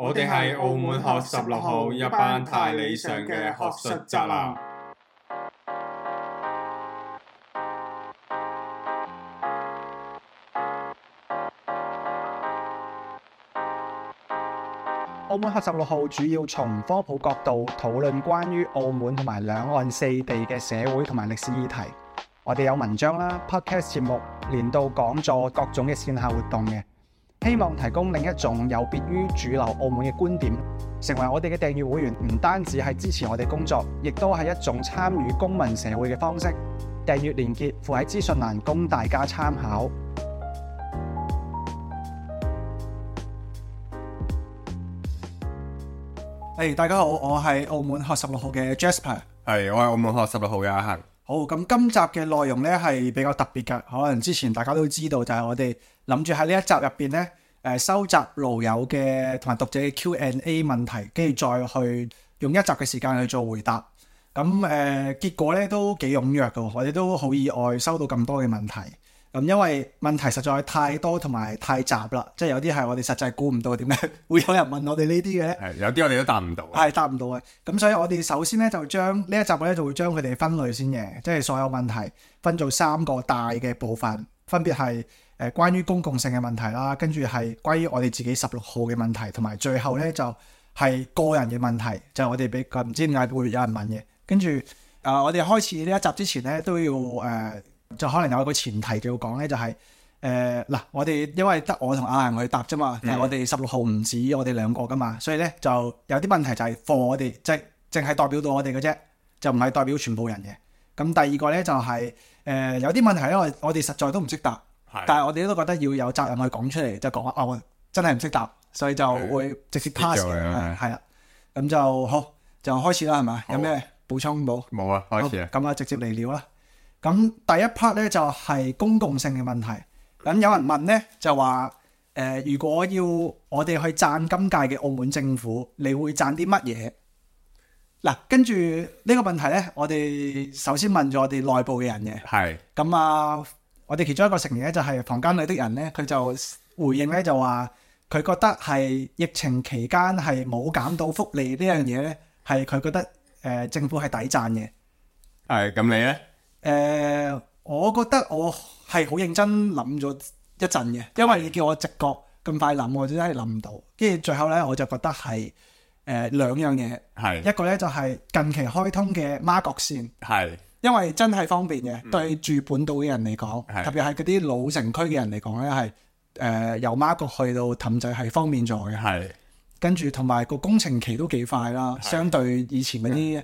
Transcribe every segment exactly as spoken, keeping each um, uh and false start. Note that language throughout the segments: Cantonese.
我哋係澳門學十六號一班太理想嘅學術宅男。澳門學十六號主要從科普角度討論關於澳門同埋兩岸四地嘅社會同埋歷史議題。我哋有文章啦、podcast 節目、年度講座、各種嘅線下活動嘅，希望提供另一種有別於主流澳門嘅觀點。成為我哋嘅訂閱會員，唔單止係支持我哋工作，亦都係一種參與公民社會嘅方式。訂閱連結附喺資訊欄，供大家參考。Hey, 大家好，我係澳門學十六號嘅 Jasper。係，我係澳門學十六號嘅阿恒。好，咁今集嘅內容呢係比較特別嘅，可能之前大家都知道，就係我哋諗住喺呢一集入邊呢，誒收集爐友嘅同埋讀者嘅 Q and A 問題，跟住再去用一集嘅時間去做回答。咁誒、呃、結果呢都幾踴躍嘅，我哋都好意外收到咁多嘅問題。咁因為問題實在太多同埋太雜啦，即係有啲係我哋實際估唔到點解會有人問我哋呢啲嘅咧。係有啲我哋都答唔到。係答唔到嘅。咁所以我哋首先咧就將呢一集咧就會將佢哋分類先嘅，即係所有問題分做三個大嘅部分，分別係誒關於公共性嘅問題啦，跟住係關於我哋自己十六號嘅問題，同埋最後咧就係個人嘅問題，就係我哋比較唔知點解會有人問嘅。跟住誒我哋開始呢一集之前咧都要誒。呃就可能有一個前提就要講咧，就係誒嗱，我哋因為得我同阿恒去答啫嘛，但係、嗯、我哋十六號唔止我哋兩個噶嘛，所以咧就有啲問題就係 for 我哋，即係淨係代表到我哋嘅啫，就唔係代表全部人嘅。咁第二個咧就係、是、誒、呃、有啲問題咧，我我哋實在都唔識答，是但係我哋都覺得要有責任去講出嚟，就講啊，我真係唔識答，所以就會直接 pass 嘅，係啦。咁就好，就開始啦，係嘛？有咩補充冇？冇啊，開始啊。咁啊，直接嚟料啦。咁第一 part 咧就係、是、公共性嘅問題。咁有人問咧就話誒、呃，如果要我哋去讚今屆嘅澳門政府，你會讚啲乜嘢？嗱，跟住呢個問題咧，我哋首先問咗我哋內部嘅人嘅。係。咁啊，我哋其中一個成員咧就係房間裏的人咧，佢就回應咧就話，佢覺得係疫情期間係冇減到福利呢樣嘢咧，係佢覺得誒、呃、政府係抵讚嘅。係。咁你咧？誒、呃，我覺得我係好認真諗咗一陣嘅，因為你叫我直覺咁快諗，我真係諗唔到。跟住最後咧，我就覺得係誒、呃、兩樣嘢，係一個咧就係、是、近期開通嘅媽閣線，係因為真係方便嘅，嗯、對住本島嘅人嚟講，特別係嗰啲老城區嘅人嚟講咧，係誒、呃、由媽閣去到氹仔係方便咗嘅，係跟住同埋個工程期都幾快啦，相對以前嗰啲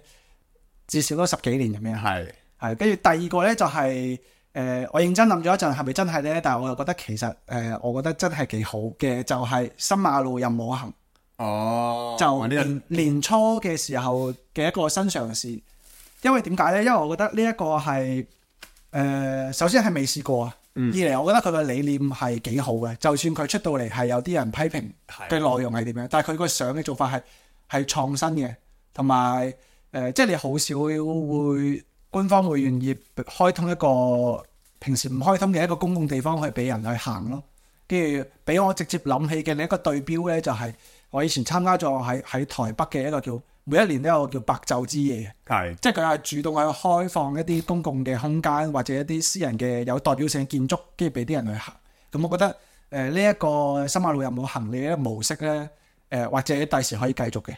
至少都十幾年咁樣，係。係，跟住第二個咧就係、是、誒、呃，我認真諗咗一陣，係咪真係咧？但係我又覺得其實誒、呃，我覺得真係幾好嘅，就係、是、新馬路任我行。哦，就年、這個、年初嘅時候嘅一個新嘗試。因為點解咧？因為我覺得呢一個係誒、呃，首先係未試過啊。嗯、二嚟，我覺得佢嘅理念係幾好嘅。就算佢出到嚟係有啲人批評嘅內容係點樣，的但係佢個相嘅做法係係創新嘅，同埋誒，即係你好少會。官方會願意開通一個平時唔開通嘅一個公共地方去俾人去行咯，跟住俾我直接諗起嘅另一個對標咧，就係我以前參加咗喺喺台北嘅一個叫每一年都有叫白晝之夜，係即係佢係主動去開放一啲公共嘅空間或者一啲私人嘅有代表性嘅建築，跟住俾啲人去行。咁我覺得誒呢一個新馬路有冇行李嘅模式咧，誒、呃、或者第時可以繼續嘅，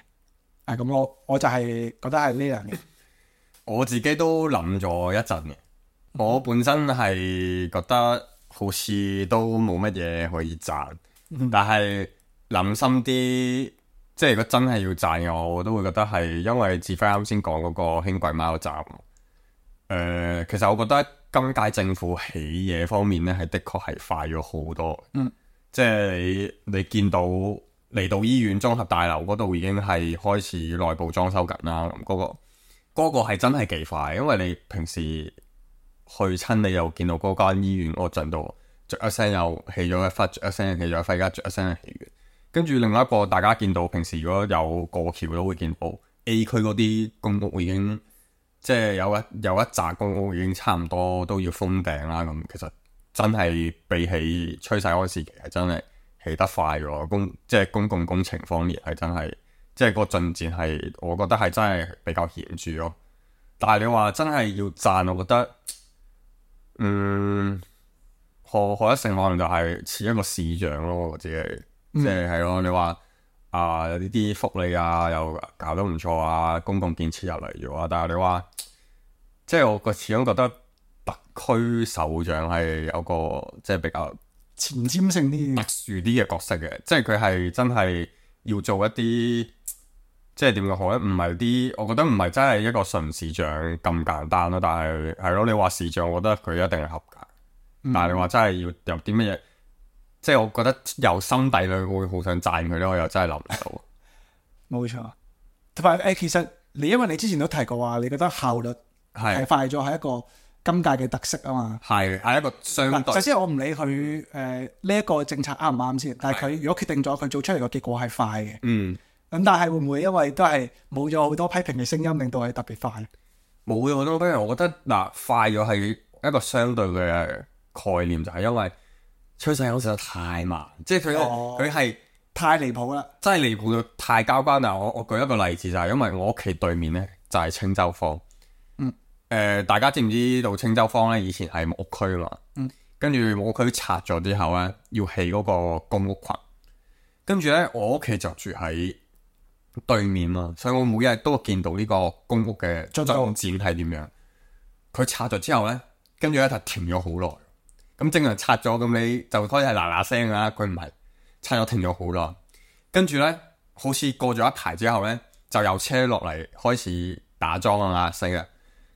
啊咁我我就係覺得係呢樣嘢。我自己都諗咗一陣嘅，我本身係覺得好似都冇乜嘢可以讚，嗯、但係諗深啲，即係如果真係要讚嘅，我都會覺得係因為志輝啱先講嗰個輕軌貓站。誒、呃，其實我覺得今屆政府起嘢方面咧，係的確係快咗好多。嗯，即係你你見到嚟到醫院綜合大樓嗰度已經係開始內部裝修緊啦，咁、那、嗰個。嗰個係真係幾快，因為你平時去親你又見到嗰間醫院嗰陣度，著一聲又起咗一忽，著一聲又起咗一忽，而家著一聲又起完。跟住另外一個大家見到平時如果有過橋都會見到 A 區嗰啲公屋已經即係有一有一紮公屋已經差唔多都要封頂啦。咁其實真係比起趨勢嗰個時期係真係起得快咗，公即係公共工程方面係真係，即係個進展係我覺得係真係比較顯著咯。但係你話真係要讚，我覺得嗯，何何一成可能就係似一個市長咯，我自己即係係咯。你話啊有呢啲福利啊又搞得唔錯啊，公共建設入嚟咗啊，但係你話即係我個始終覺得特區首長係有個即係比較前瞻性啲、特殊啲嘅角色嘅，即係佢係真係要做一啲。即係點講好咧？唔係啲，我覺得唔係真係一個純市長咁簡單咯。但係係咯，你話市長，我覺得佢一定係合格。嗯、但係你話真係要有啲乜嘢，即係我覺得由心底裏會好想讚佢咧，我又真係諗唔到。冇錯，同埋誒，其實你因為你之前都提過話，你覺得效率係快咗，係一個今屆嘅特色啊嘛。係係一個相對。首先我唔理佢誒呢一個政策啱唔啱先，但係佢如果決定咗，佢做出嚟個結果係快嘅。嗯。咁但係會唔會因為都係冇咗好多批評嘅聲音，令到係特別快？冇咗好多批評，我覺得嗱快咗係一個相對嘅概念，就係、是、因為趨勢好似得太慢，即係佢佢係太離譜啦，真係離譜到太交關。但係我我舉一個例子就係因為我屋企對面咧就係青洲坊，嗯，誒、呃、大家知唔知道青洲坊咧以前係木屋區啊嘛，嗯，跟住木屋區拆咗之後咧要起嗰個公屋群，跟住咧我屋企就住喺對面嘛，所以我每日都會見到呢個公屋嘅進展係點樣。佢拆咗之後咧，跟住咧就停咗好耐。咁正常拆咗，咁你就開始係嗱嗱聲啦。佢唔係拆咗停咗好耐，跟住咧好似過咗一排之後咧，就有車落嚟開始打樁啊嘛，死啊！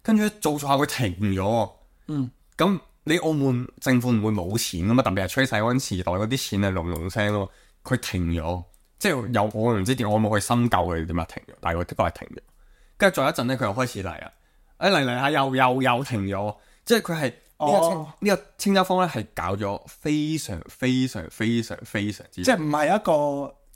跟住做咗下佢停咗。嗯，咁你澳門政府唔會冇錢噶嘛？特別係吹洗安時代嗰啲錢係隆隆聲咯，佢停咗。即係有我唔知點，我冇去深究佢點解停咗，但係佢的確係停咗。跟住再一陣咧，佢又開始嚟啊！誒嚟嚟下又又又停咗。即係佢係呢個青呢個青洲坊咧，係搞咗非常非常非常非常之，即係唔係一個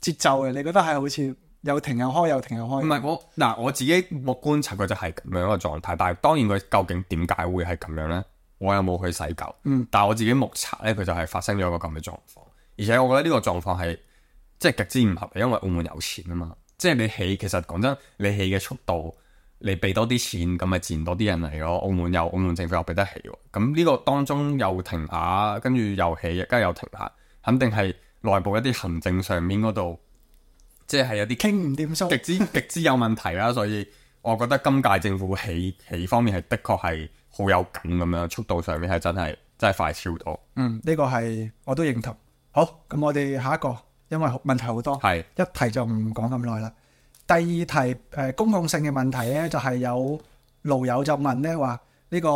節奏嘅。你覺得係好似又停又開又停又開？唔係我嗱我自己我觀察佢就係咁樣一個狀態，但係當然佢究竟點解會係咁樣咧？我又冇去細究。嗯，但係我自己目測咧，佢就係發生咗一個咁嘅狀況，而且我覺得呢個狀況係。即係極之唔合理，因為澳門有錢啊嘛。即係你起，其實講真，你起嘅速度，你俾多啲錢，咁咪自然多啲人嚟咯。澳門又澳門政府又俾得起喎。咁呢個當中又停下，跟住又起，跟住又停下，肯定係內部一啲行政上面嗰度，即係有啲傾唔掂數，極之極之有問題啦。所以我覺得今屆政府起起方面係的確係好有緊咁樣，速度上面係真係真係快超多。嗯，呢個係我都認同。好，咁我哋下一個。因為問題好多，係一題就唔講咁耐啦。第二題誒、呃、公共性嘅問題咧，就係、是、有路友就問咧話呢個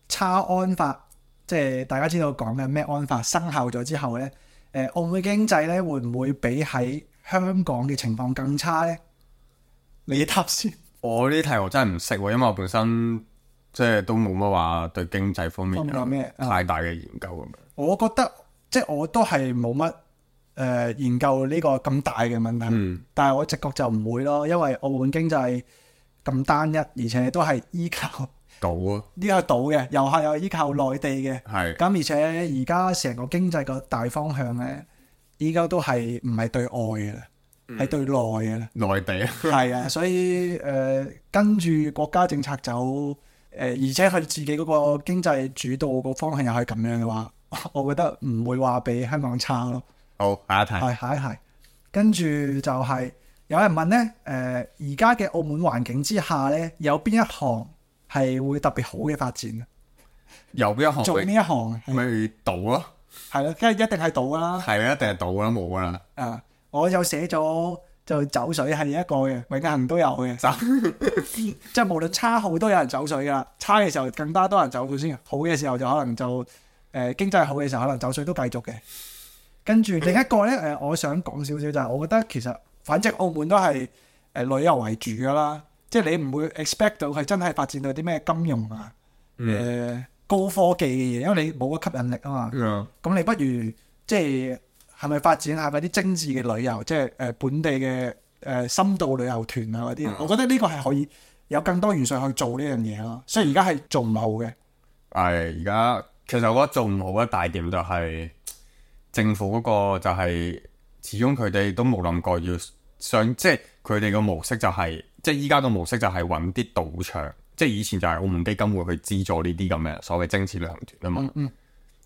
差安法，即係大家知道講嘅咩安法生效咗之後咧，誒、呃、澳門經濟咧會唔會比喺香港嘅情況更差咧？你答先。我呢題我真係唔識喎，因為我本身即係都冇乜話對經濟方面有咩太大嘅研究咁樣。我覺得即係我都係冇乜。誒、呃、研究呢個咁大嘅問題，嗯、但係我直覺就唔會咯，因為澳門經濟咁單一，而且都係依靠島啊，呢個係島嘅，又係有依靠內地嘅，係咁而且而家成個經濟個大方向咧，依家都係唔係對外嘅啦，係、嗯、對內嘅啦，內地啊，係啊，所以誒、呃、跟住國家政策走，誒、呃、而且佢自己嗰個經濟主導個方向又係咁樣嘅話，我覺得唔會話比香港差咯。好，下一題。係下一題，跟住就係有人問咧，誒而家嘅澳門環境之下咧，有邊一行係會特別好嘅發展？有邊一行？做呢一行咪賭咯？係咯，梗係一定係賭啦。係啊，一定係賭啦，冇噶啦。啊，我有寫咗就走水係一個嘅，永恆都有嘅。即係無論差好都有人走水噶啦，差嘅時候更加多人走水先，好嘅時候就可能就誒、呃、經濟好嘅時候可能走水都繼續嘅。跟住另一個咧，誒，我想講少少就係，我覺得其實反正澳門都係誒旅遊為主噶啦，即係你唔會 expect 到佢真係發展到啲咩金融啊，誒、嗯呃、高科技嘅嘢，因為你冇個吸引力啊嘛。咁、嗯、你不如即係係咪發展下嗰啲精緻嘅旅遊，即係誒本地嘅誒、呃、深度旅遊團啊嗰啲？嗯、我覺得呢個係可以有更多元素去做呢樣嘢咯。所以而家係做唔好嘅。係而家其實我覺得做唔好嘅大點就係、是。政府嗰個就係、是、始終佢哋都冇諗過要上，即係佢哋個模式就係、是、即係依家個模式就係揾啲賭場，即係以前就係澳門基金會去資助呢啲咁嘅所謂精緻旅行團啊嘛。嗯嗯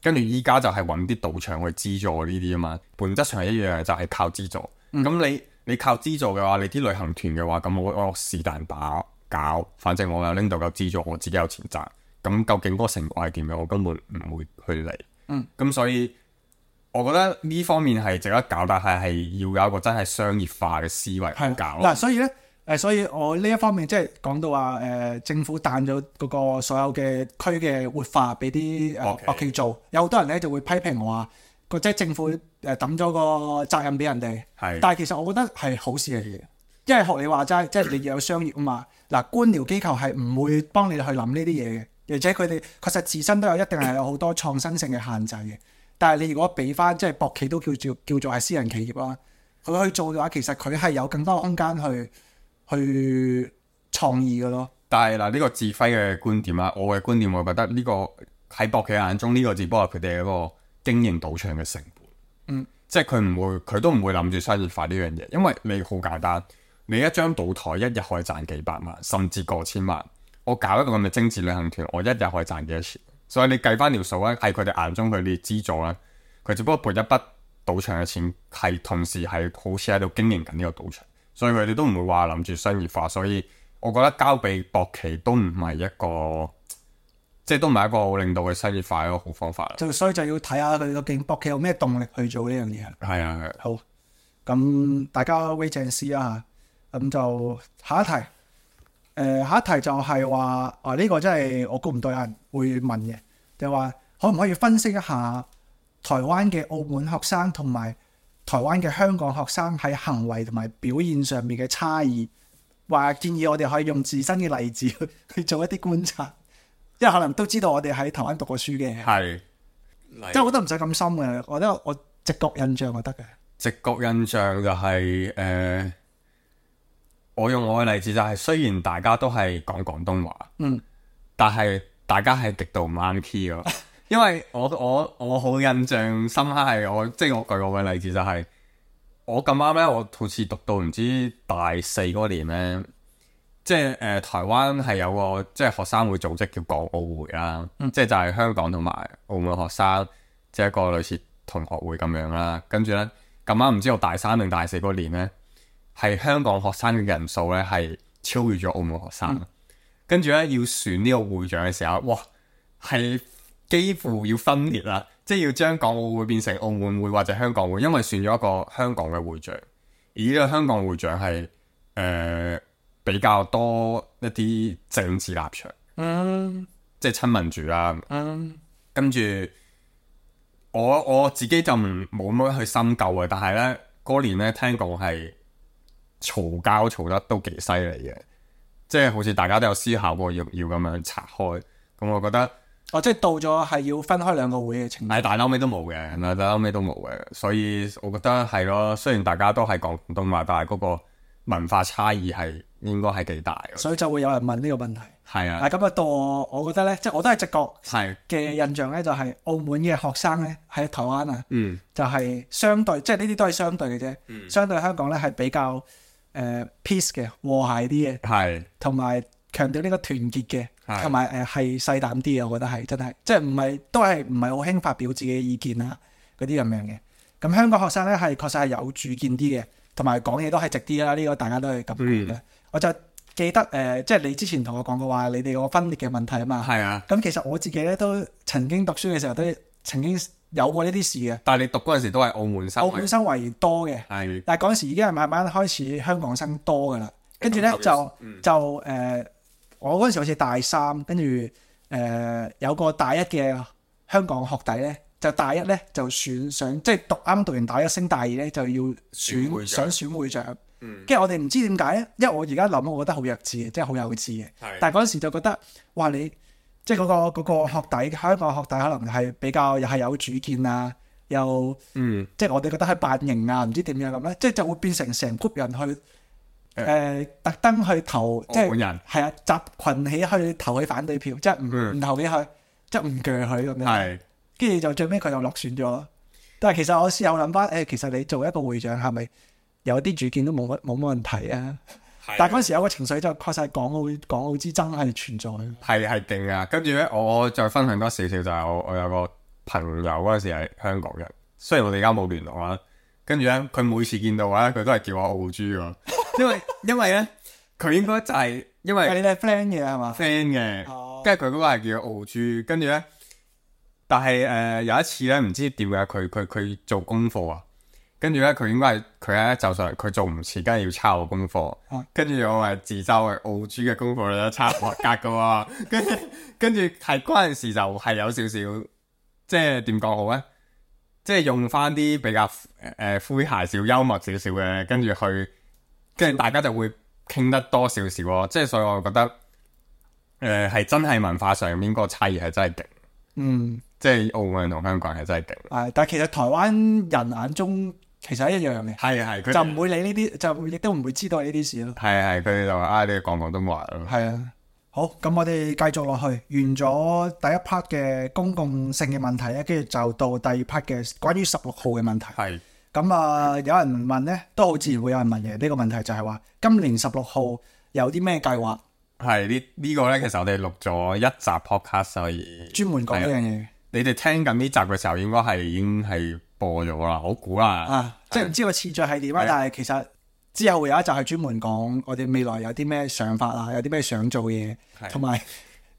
跟住依家就係揾啲賭場去資助呢啲啊嘛，本質上係一樣嘅，就係、是、靠資助。咁、嗯、你你靠資助嘅話，你啲旅行團嘅話，咁我我是但打搞，反正我又拎到夠資助，我自己有錢賺。咁究竟嗰個成果係點樣？我根本唔會去理。嗯，咁所以我覺得呢方面係值得搞，但係係要有一個真係商業化嘅思維去搞。嗱，所以咧。誒，所以我呢一方面即係講到話誒、呃，政府彈咗嗰個所有嘅區嘅活化俾啲誒博企做，有好多人咧就會批評我話個即係政府誒抌咗個責任俾人哋。係，但係其實我覺得係好事嚟嘅，因為學你話齋，即係你要有商業啊嘛。嗱，官僚機構係唔會幫你去諗呢啲嘢嘅，而且佢哋確實自身都有一定係有好多創新性嘅限制嘅。但係你如果俾翻即係博企都叫做叫做係私人企業啦，佢去做嘅話，其實佢係有更多空間去。去創意嘅咯，但係嗱呢個志輝嘅觀點啦，我嘅觀點我覺得呢、這個喺博企眼中呢、這個只不過係佢哋一個經營賭場嘅成本，嗯，即係佢唔會佢都唔會諗住商業化呢樣嘢，因為你好簡單，你一張賭台一日可以賺幾百萬甚至過千萬，我搞一個咁嘅精緻旅行團，我一日可以賺幾多錢？所以你計翻條數咧，喺佢哋眼中佢哋資助咧，佢只不過撥一筆賭場嘅錢，係同時係好似喺度經營緊呢個賭場。所以佢哋都唔會話諗住商業化，所以我覺得交俾博企都唔係一個，即係都唔係一個令到佢商業化嘅一個好方法啦。就所以就要睇下佢究竟博企有咩動力去做呢樣嘢。係啊，係。好，咁大家 wait and see 啊，咁就下一題。誒、呃，下一題就係話啊，呢、這個真係我估唔到有人會問嘅，就係話可唔可以分析一下台灣嘅澳門學生同埋台灣嘅香港學生喺行為同埋表現上面嘅差異，話建議我哋可以用自身嘅例子去去做一啲觀察，因為可能都知道我哋喺台灣讀過書嘅，係，即係我覺得唔使咁深嘅，我覺得我直覺印象就得嘅。直覺印象就係、是、誒、呃，我用我嘅例子就係、是，雖然大家都係講廣東話，嗯，但係大家係極度唔啱 key 咯。因為我我我好印象深刻係我即係我舉我嘅例子就係、是、我咁啱咧，我好似讀到唔知大四嗰年咧，即係誒、呃、台灣係有個即係學生會組織叫港澳會啦，嗯、即係就係香港同埋澳門學生即係一個類似同學會咁樣啦。跟住咧咁啱唔知我大三定大四嗰年咧，係香港學生嘅人數咧係超越咗澳門學生，嗯、跟住咧要選呢個會長嘅時候，哇係〜幾乎要分裂啦，即係要將港澳會變成澳門會或者香港會，因為選咗一個香港嘅會長，而呢個香港會長係誒、呃、比較多一啲政治立場，嗯，即係親民主啦，嗯，跟住我我自己就唔冇乜去深究嘅，但係咧嗰年咧聽講係嘈交嘈得都幾犀利嘅，即係好似大家都有思考過要要咁樣拆開，咁我覺得。哦，即係到咗係要分開兩個會嘅情況，但係後尾都冇嘅，但係後尾都冇嘅，所以我覺得係咯。雖然大家都係講廣東話，但係嗰個文化差異係應該係幾大嘅，所以就會有人問呢個問題。係啊，咁啊到我，我覺得咧，即係我都係直覺嘅印象咧，就係澳門嘅學生咧喺台灣啊，嗯，就係相對，即係呢啲都係相對嘅啫。嗯、相對香港咧係比較誒、呃、peace 嘅和諧啲嘅，係同埋強調呢個團結嘅。同埋誒係細膽啲嘅，我覺得係真係，即係唔係都係唔係好興發表自己嘅意見啊嗰啲咁樣嘅。咁香港學生咧係確實係有主見啲嘅，同埋講嘢都係直啲啦。呢、這個大家都係咁講嘅。嗯、我就記得誒、呃，即係你之前同我講過話，你哋個分裂嘅問題啊嘛。係啊。咁其實我自己咧都曾經讀書嘅時候都曾經有過呢啲事嘅。但係你讀嗰陣時都係澳門生。澳門生為多嘅。係。但係嗰陣時已經係慢慢開始香港生多噶啦，跟住咧就、嗯、就誒。呃我嗰陣時好似大三，跟住誒有個大一嘅香港學弟咧，就大一咧就選上，即係讀啱讀完大一升大二咧就要選想選會長。跟住、嗯、我哋唔知點解咧，因為我而家諗，我覺得好弱智嘅，即係好幼稚嘅。是但係嗰陣時就覺得，哇！你即係嗰、嗰個嗰個學弟，香港學弟可能係比較又係有主見啊，又、嗯、即係我哋覺得係扮型啊，唔知點樣咁咧，即係就會變成成 group 人去。誒、呃、特登去投，即係係啊，集群起去投佢反對票，即係唔唔投俾佢，即係唔鋸佢咁樣。係，跟住就最尾佢就落選咗。但係其實我事後諗翻，誒，其實你做一個會長係咪有啲主見都冇乜冇乜問題啊？但係嗰陣時有個情緒就確實係港澳港澳之爭係存在。係係勁啊！跟住咧，我再分享多少少就係我我有個朋友嗰陣時係香港人，雖然我哋而家冇聯絡啦。跟住咧，佢每次見到我咧，佢都係叫我澳豬喎。因為因為咧，佢應該就係、是、因為你哋係 friend 嘅係嘛 friend 嘅，跟住佢嗰個係叫澳豬。跟住咧，但係誒、呃、有一次咧，唔知點解佢佢佢做功課啊。跟住咧，佢應該係佢咧就上佢做唔切，梗係要抄我功課。跟住、啊、我係自嘲係澳豬嘅功課咧，抄合格嘅喎。跟住跟住係嗰陣時就係有少少，即係點講好咧？即係用翻啲比較誒、呃、詼諧少幽默少少嘅，跟住去，跟住大家就會傾得多少少咯。即係所以我覺得誒係、呃、真係文化上面個差異係真係勁。嗯，即係澳門人同香港人係真係勁。係，但係其實台灣人眼中其實係一樣嘅。係係，佢就唔會理呢啲，就亦都唔會知道呢啲事咯。係係，佢哋就話啊，你講廣東話咯。係啊。好，咁我哋繼續落去，完咗第一 part 嘅公共性嘅問題咧，跟住就到第二 part 嘅關於十六號嘅問題。係。咁啊，有人問咧，都好自然會有人問嘅。呢、這個問題就係話，今年十六號有啲咩計劃？係呢呢個咧，其實我哋錄咗一集 podcast，所以專門講呢樣嘢。你哋聽緊呢集嘅時候，應該係已經係播咗啦，我估啦。啊，即係唔知個次序係點啊？但係其實。之後會有一集係專門講我哋未來有啲咩想法啊，有啲咩想做嘅嘢，同埋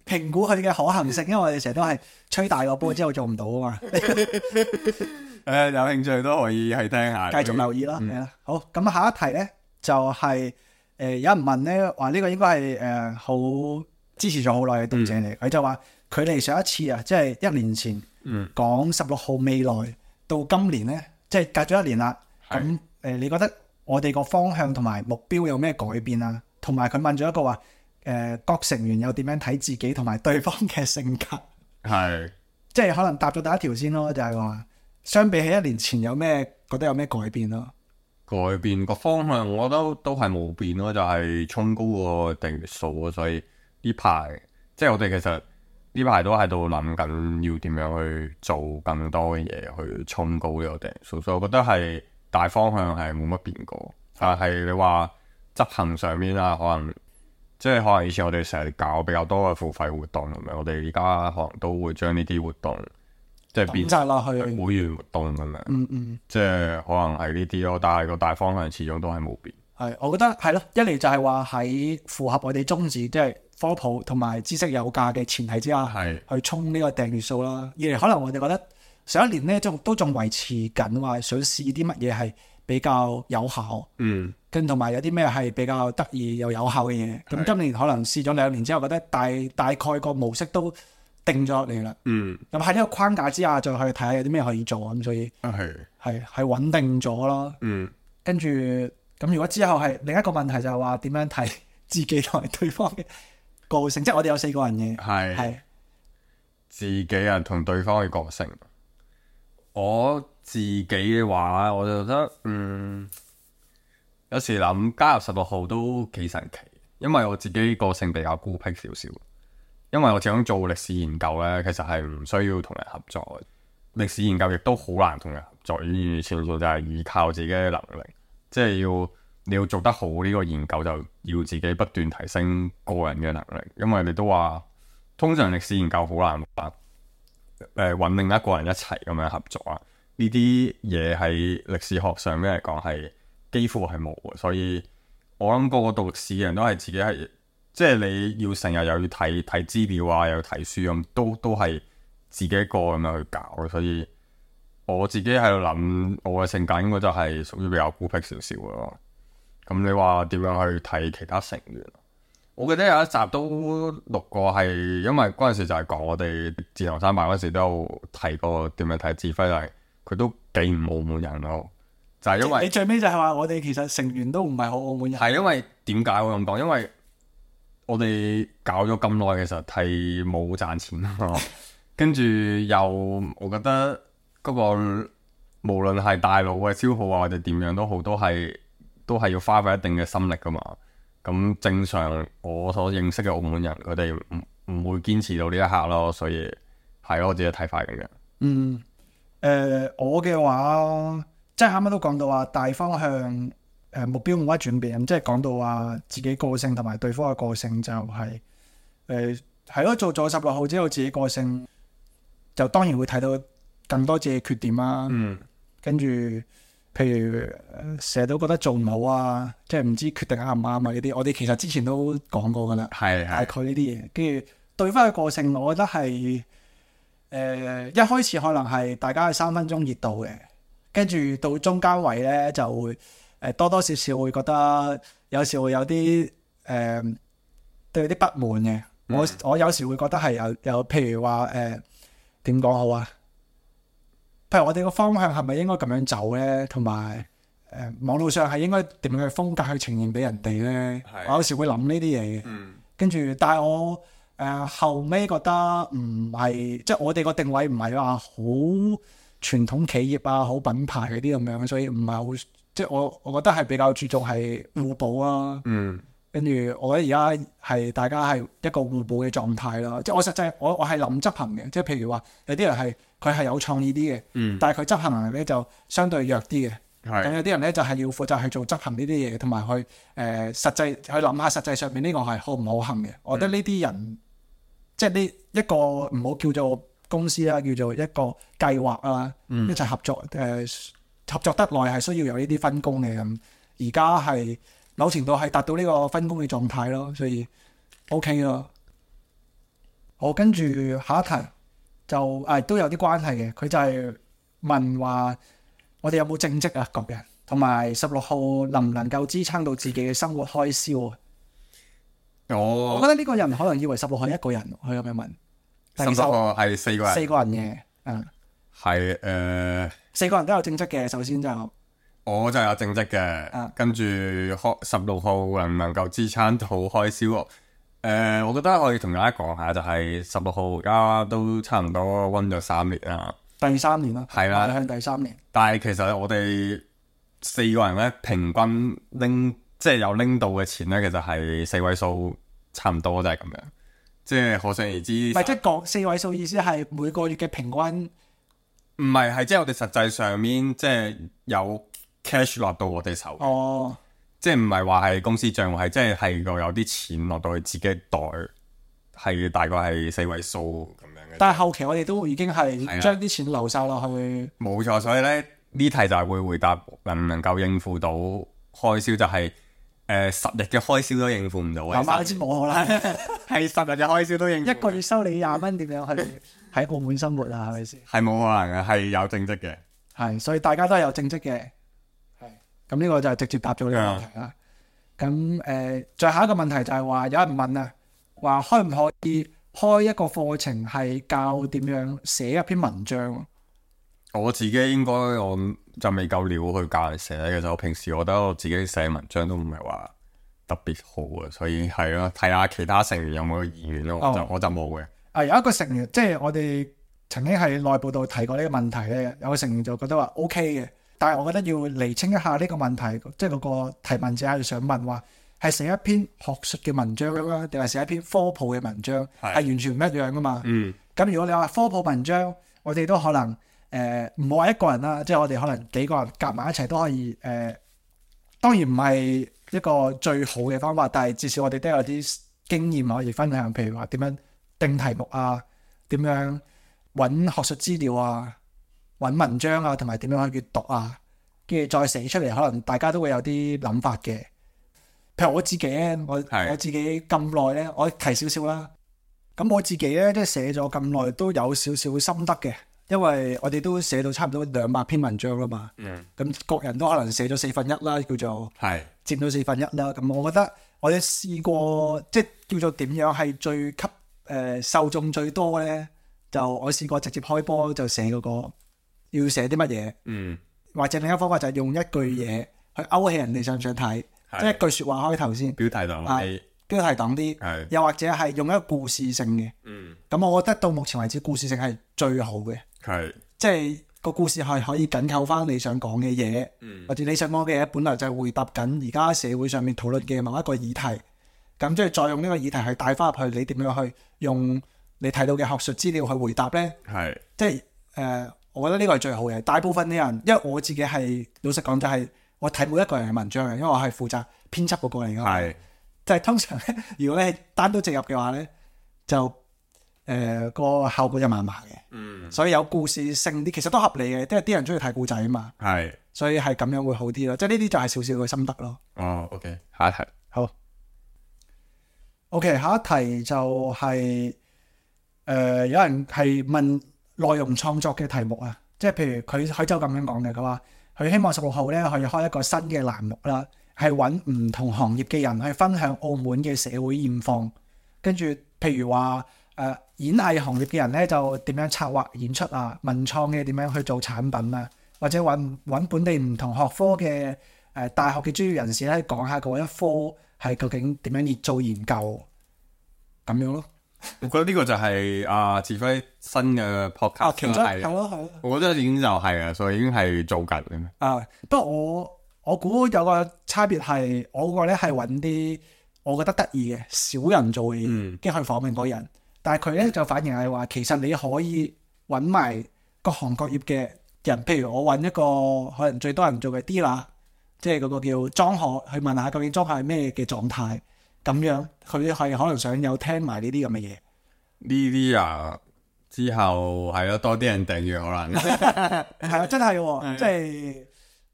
評估佢嘅可行性，因為我哋成日都係吹大個波之後做唔到啊嘛。誒、呃，有興趣都可以去聽下，繼續留意啦。係啦、嗯，好，咁下一題咧就係、是、誒、呃、有人問咧話呢個應該係誒好支持咗好耐嘅讀者嚟，佢、嗯、就話距離上一次啊，即係一年前、嗯、講十六號未來到今年咧，即係隔咗一年啦。咁誒、呃，你覺得？我哋個方向同埋目標有咩改變啊？同埋佢問咗一個話，誒、呃、各成員又點樣睇自己同埋對方嘅性格？係，即係可能答咗第一條先咯，就係、是、話相比起一年前有咩覺得有咩改變咯？改變個方向，我覺得都係冇變咯，就係、是、衝高個訂閱數啊！所以呢排即係我哋其實呢排都喺度諗緊要點樣去做更多嘅嘢去衝高呢個訂閱數，所以我覺得係。大方向係冇乜變過，但係你話執行上面啊，可能即係可能以前我哋成日搞比較多嘅付費活動咁樣，我哋而家可能都會將呢啲活動即係變曬落去會員活動咁樣，嗯嗯，即係可能係呢啲咯。但係個大方向始終都係冇變。係，我覺得係咯，一嚟就係話喺符合我哋宗旨，即係科普同埋知識有價嘅前提之下，係去衝呢個訂閱數啦。二嚟可能我哋覺得。上一年咧，仲都仲維持緊話想試啲乜嘢係比較有效，嗯，跟同埋有啲咩係比較得意又有效嘅嘢。咁今年可能試咗兩年之後，覺得大大概個模式都定咗落嚟啦，嗯。咁喺呢個框架之下，再去睇下有啲咩可以做咁，所以係係係穩定咗咯，嗯。跟住咁，如果之後係另一個問題就係話點樣睇自己同埋對方嘅個性，即係我哋有四個人嘅，係係自己人同對方嘅個性。我自己嘅話，我就覺得嗯，有時諗加入十六號都幾神奇，因為我自己個性比較孤僻少少。因為我始終做歷史研究咧，其實係唔需要同人合作嘅。歷史研究亦都好難同人合作，完完全全就係依靠自己嘅能力，即係要你要做得好呢個研究，就要自己不斷提升個人嘅能力。因為你都話，通常歷史研究好難辦。誒，揾另一個人一齊咁樣合作啊！呢啲嘢喺歷史學上面嚟講係幾乎係冇嘅，所以我諗個個讀歷史嘅人都係自己係，即係你要成日又要睇睇資料啊，又要睇書咁，都都係自己一個咁樣去搞。所以我自己喺度諗，我嘅性格應該就係屬於比較孤僻少少嘅咯。咁你話點樣去睇其他成員？我記得有一集都錄過，係因為嗰陣時就係講我哋自行山辦嗰時都有提過點樣睇指揮，係佢都幾唔澳門人咯。就係、是、因為你最尾就係話我哋其實成員都唔係好澳門人。係因為點解會咁講？因為我哋搞咗咁耐，其實係冇賺錢咯。跟住又我覺得嗰、那個無論係大腦嘅消耗啊，或者點樣都好，都係都係要花費一定嘅心力噶嘛。咁正常，我所認識嘅澳門人，佢哋唔唔會堅持到呢一刻咯，所以係咯，我自己睇法咁樣。嗯，誒、呃，我嘅話，即係啱啱都講到話大方向誒、呃、目標冇乜轉變，即係講到話自己個性同埋對方嘅個性就係誒係咯，做咗十六號之後，自己個性就當然會睇到更多自己缺點啦。嗯，跟住譬如成日都覺得做唔好啊，即係唔知決定啱唔啱啊呢啲，我哋其實之前都講過噶啦，係大概呢啲嘢。跟住對方嘅個性，我覺得係誒、呃、一開始可能係大家係三分鐘熱度嘅，跟住到中間位咧就會誒、呃、多多少少會覺得有時會有啲誒、呃、對有啲不滿嘅。嗯、我我有時會覺得係有有譬如話誒點講好啊？譬如我哋個方向係咪應該咁樣走咧？同埋誒網絡上係應該點樣嘅風格去呈現俾人哋咧？我有時會諗呢啲嘢嘅。嗯、跟住，但係我誒、呃、後尾覺得唔係，即係我哋個定位唔係話好傳統企業啊、好品牌嗰啲咁樣，所以唔係好，即係我我覺得係比較注重係互補啊。嗯。跟住，我覺得而家係大家係一個互補嘅狀態啦。即係我實際，我我係諗執行嘅。即係譬如話，有啲人係佢係有創意啲嘅，嗯、但係佢執行能力咧就相對弱啲嘅。咁是有啲人咧就係、是、要負責去做執行呢啲嘢，同埋去誒、呃、實際去諗下實際上面呢個係可唔可行嘅。嗯、我覺得呢啲人即係呢一個唔好叫做公司啦，叫做一個計劃啊，嗯、一齊合作誒、呃、合作得耐係需要有呢啲分工嘅咁。而家係。某程度係達到呢個分工嘅狀態咯，所以 OK 咯。好，跟住下一題就誒、啊、都有啲關係嘅，佢就係問話我哋有冇正職啊，各人，同埋十六號能唔能夠支撐到自己嘅生活開銷啊？我我覺得呢個人可能以為十六號係一個人，佢咁樣問。十六號係四個人，四個人嘅，嗯，係誒，呃、四個人都有正職嘅，首先就。我就有正職嘅，啊、跟住開十六號能唔能夠支撐到開銷？誒、呃，我覺得可以同大家講下，就係十六號而家都差唔多溫咗三年啦，第三年啦，係啦，向第三年。但係其實我哋四個人咧，平均拎即係有拎到嘅錢咧，其實係四位數，差唔多都係咁樣，即係可想而知。唔係即係講四位數意思係每個月嘅平均，唔係係即係我哋實際上面即係有。cash 落到我哋手，哦，即係唔係話係公司賬戶，係即係係個有啲錢落到去自己袋，係大概係四位數咁樣嘅。但係後期我哋都已經係將啲錢流晒落去。冇錯，所以咧呢題就係會回答能唔能夠應付到開銷，就係、是、誒、呃、十日嘅開銷都應付唔到嘅。阿媽知冇可能，係十日嘅開銷都應付唔到。一個月收你廿蚊，點樣去喺澳門生活啊？係咪先？係冇可能嘅，係有正職嘅。係，所以大家都係有正職嘅。咁呢個就係直接答咗呢個問題啦。咁誒、呃，最後一個問題就係話，有人問啊，話可唔可以開一個課程係教點樣寫一篇文章？我自己應該我就未夠料去教人寫嘅，其實我平時我覺得我自己寫文章都唔係話特別好啊，所以係咯，睇下其他成員有冇意願咯，我就、哦、我就冇嘅。啊，有一個成員，即係我哋曾經喺內部度提過呢個問題咧，有個成員就覺得話 OK 嘅。但係我覺得要釐清一下呢個問題，即係嗰個提問者係想問話係寫一篇學術嘅文章啦，定係寫一篇科普嘅文章，係是完全唔一樣噶嘛。嗯。咁如果你話科普文章，我哋都可能誒唔好話一個人啦，即係我哋可能幾個人夾埋一齊都可以誒、呃。當然唔係一個最好嘅方法，但係至少我哋都有啲經驗可以分享，譬如話點樣定題目啊，點樣揾學術資料啊。揾文章啊，同埋點樣去閱讀啊，跟住再寫出嚟，可能大家都會有啲諗法嘅。譬如我自己咧，我是我自己咁耐咧，我提少少啦。咁我自己咧，即係寫咗咁耐，都有少少心得嘅。因為我哋都寫到差唔多兩百篇文章啦嘛。嗯。咁各人都可能寫咗四分一啦，叫做係佔到四分一啦。咁我覺得我哋試過，即係叫做點樣係最吸誒、呃、受眾最多咧？就我試過直接開波就寫嗰個。要寫啲乜嘢？嗯，或者另一個方法就係用一句嘢去勾起人哋上上睇，是即係一句説話開頭先。標題黨啦，標題黨啲，係又或者係用一個故事性嘅。嗯，咁我覺得到目前為止故事性係最好嘅。係是，即係個故事係可以緊扣翻你想講嘅嘢，嗯、或者你想講嘅嘢本來就係回答緊而家社會上面討論嘅某一個議題。咁即係再用呢個議題去帶翻入去，你點樣去用你睇到嘅學術資料去回答咧？係是，即係誒。呃我覺得呢個係最好嘅。大部分啲人，因為我自己係老實講就係我睇每一個人嘅文章嘅，因為我係負責編輯嗰個嚟㗎嘛。係，即係通常咧，如果你係單刀直入嘅話咧，就誒、呃嗰個效果就麻麻嘅。嗯，所以有故事性啲，其實都合理嘅，即係啲人中意睇故仔啊嘛。係，所以係咁樣會好啲咯。即係呢啲就係少少嘅心得咯。哦 ，OK， 下一題。好。OK， 下一題就係、是、誒、呃、有人係問內容創作嘅題目啊，即係譬如佢佢就咁樣講嘅，佢話佢希望十六號咧可以開一個新嘅欄目啦，係揾唔同行業嘅人去分享澳門嘅社會現況，跟住譬如話誒、呃、演藝行業嘅人咧就點樣策劃演出啊，文創嘅點樣去做產品啊，或者揾揾本地唔同學科嘅誒、呃、大學嘅專業人士咧講下嗰一科係究竟點樣嚟做研究咁樣咯。我覺得呢個就係阿志輝新嘅 podcast 其中係咯係咯。我覺得已經就係啊，所以已經係做緊嘅。啊，不過我我估有個差別係，我個咧係揾啲我覺得得意嘅少人做嘅嘢，跟住去訪問嗰人。但係佢咧就反而係話，其實你可以揾埋各行各業嘅人，譬如我揾一個可能最多人做嘅 dealer，即係嗰個叫裝殼，去問下究竟裝殼係咩嘅狀態。咁樣佢係可能想有聽埋呢啲咁嘅嘢。呢啲啊，之後係咯，多啲人訂閱可能係啊，真係喎，即係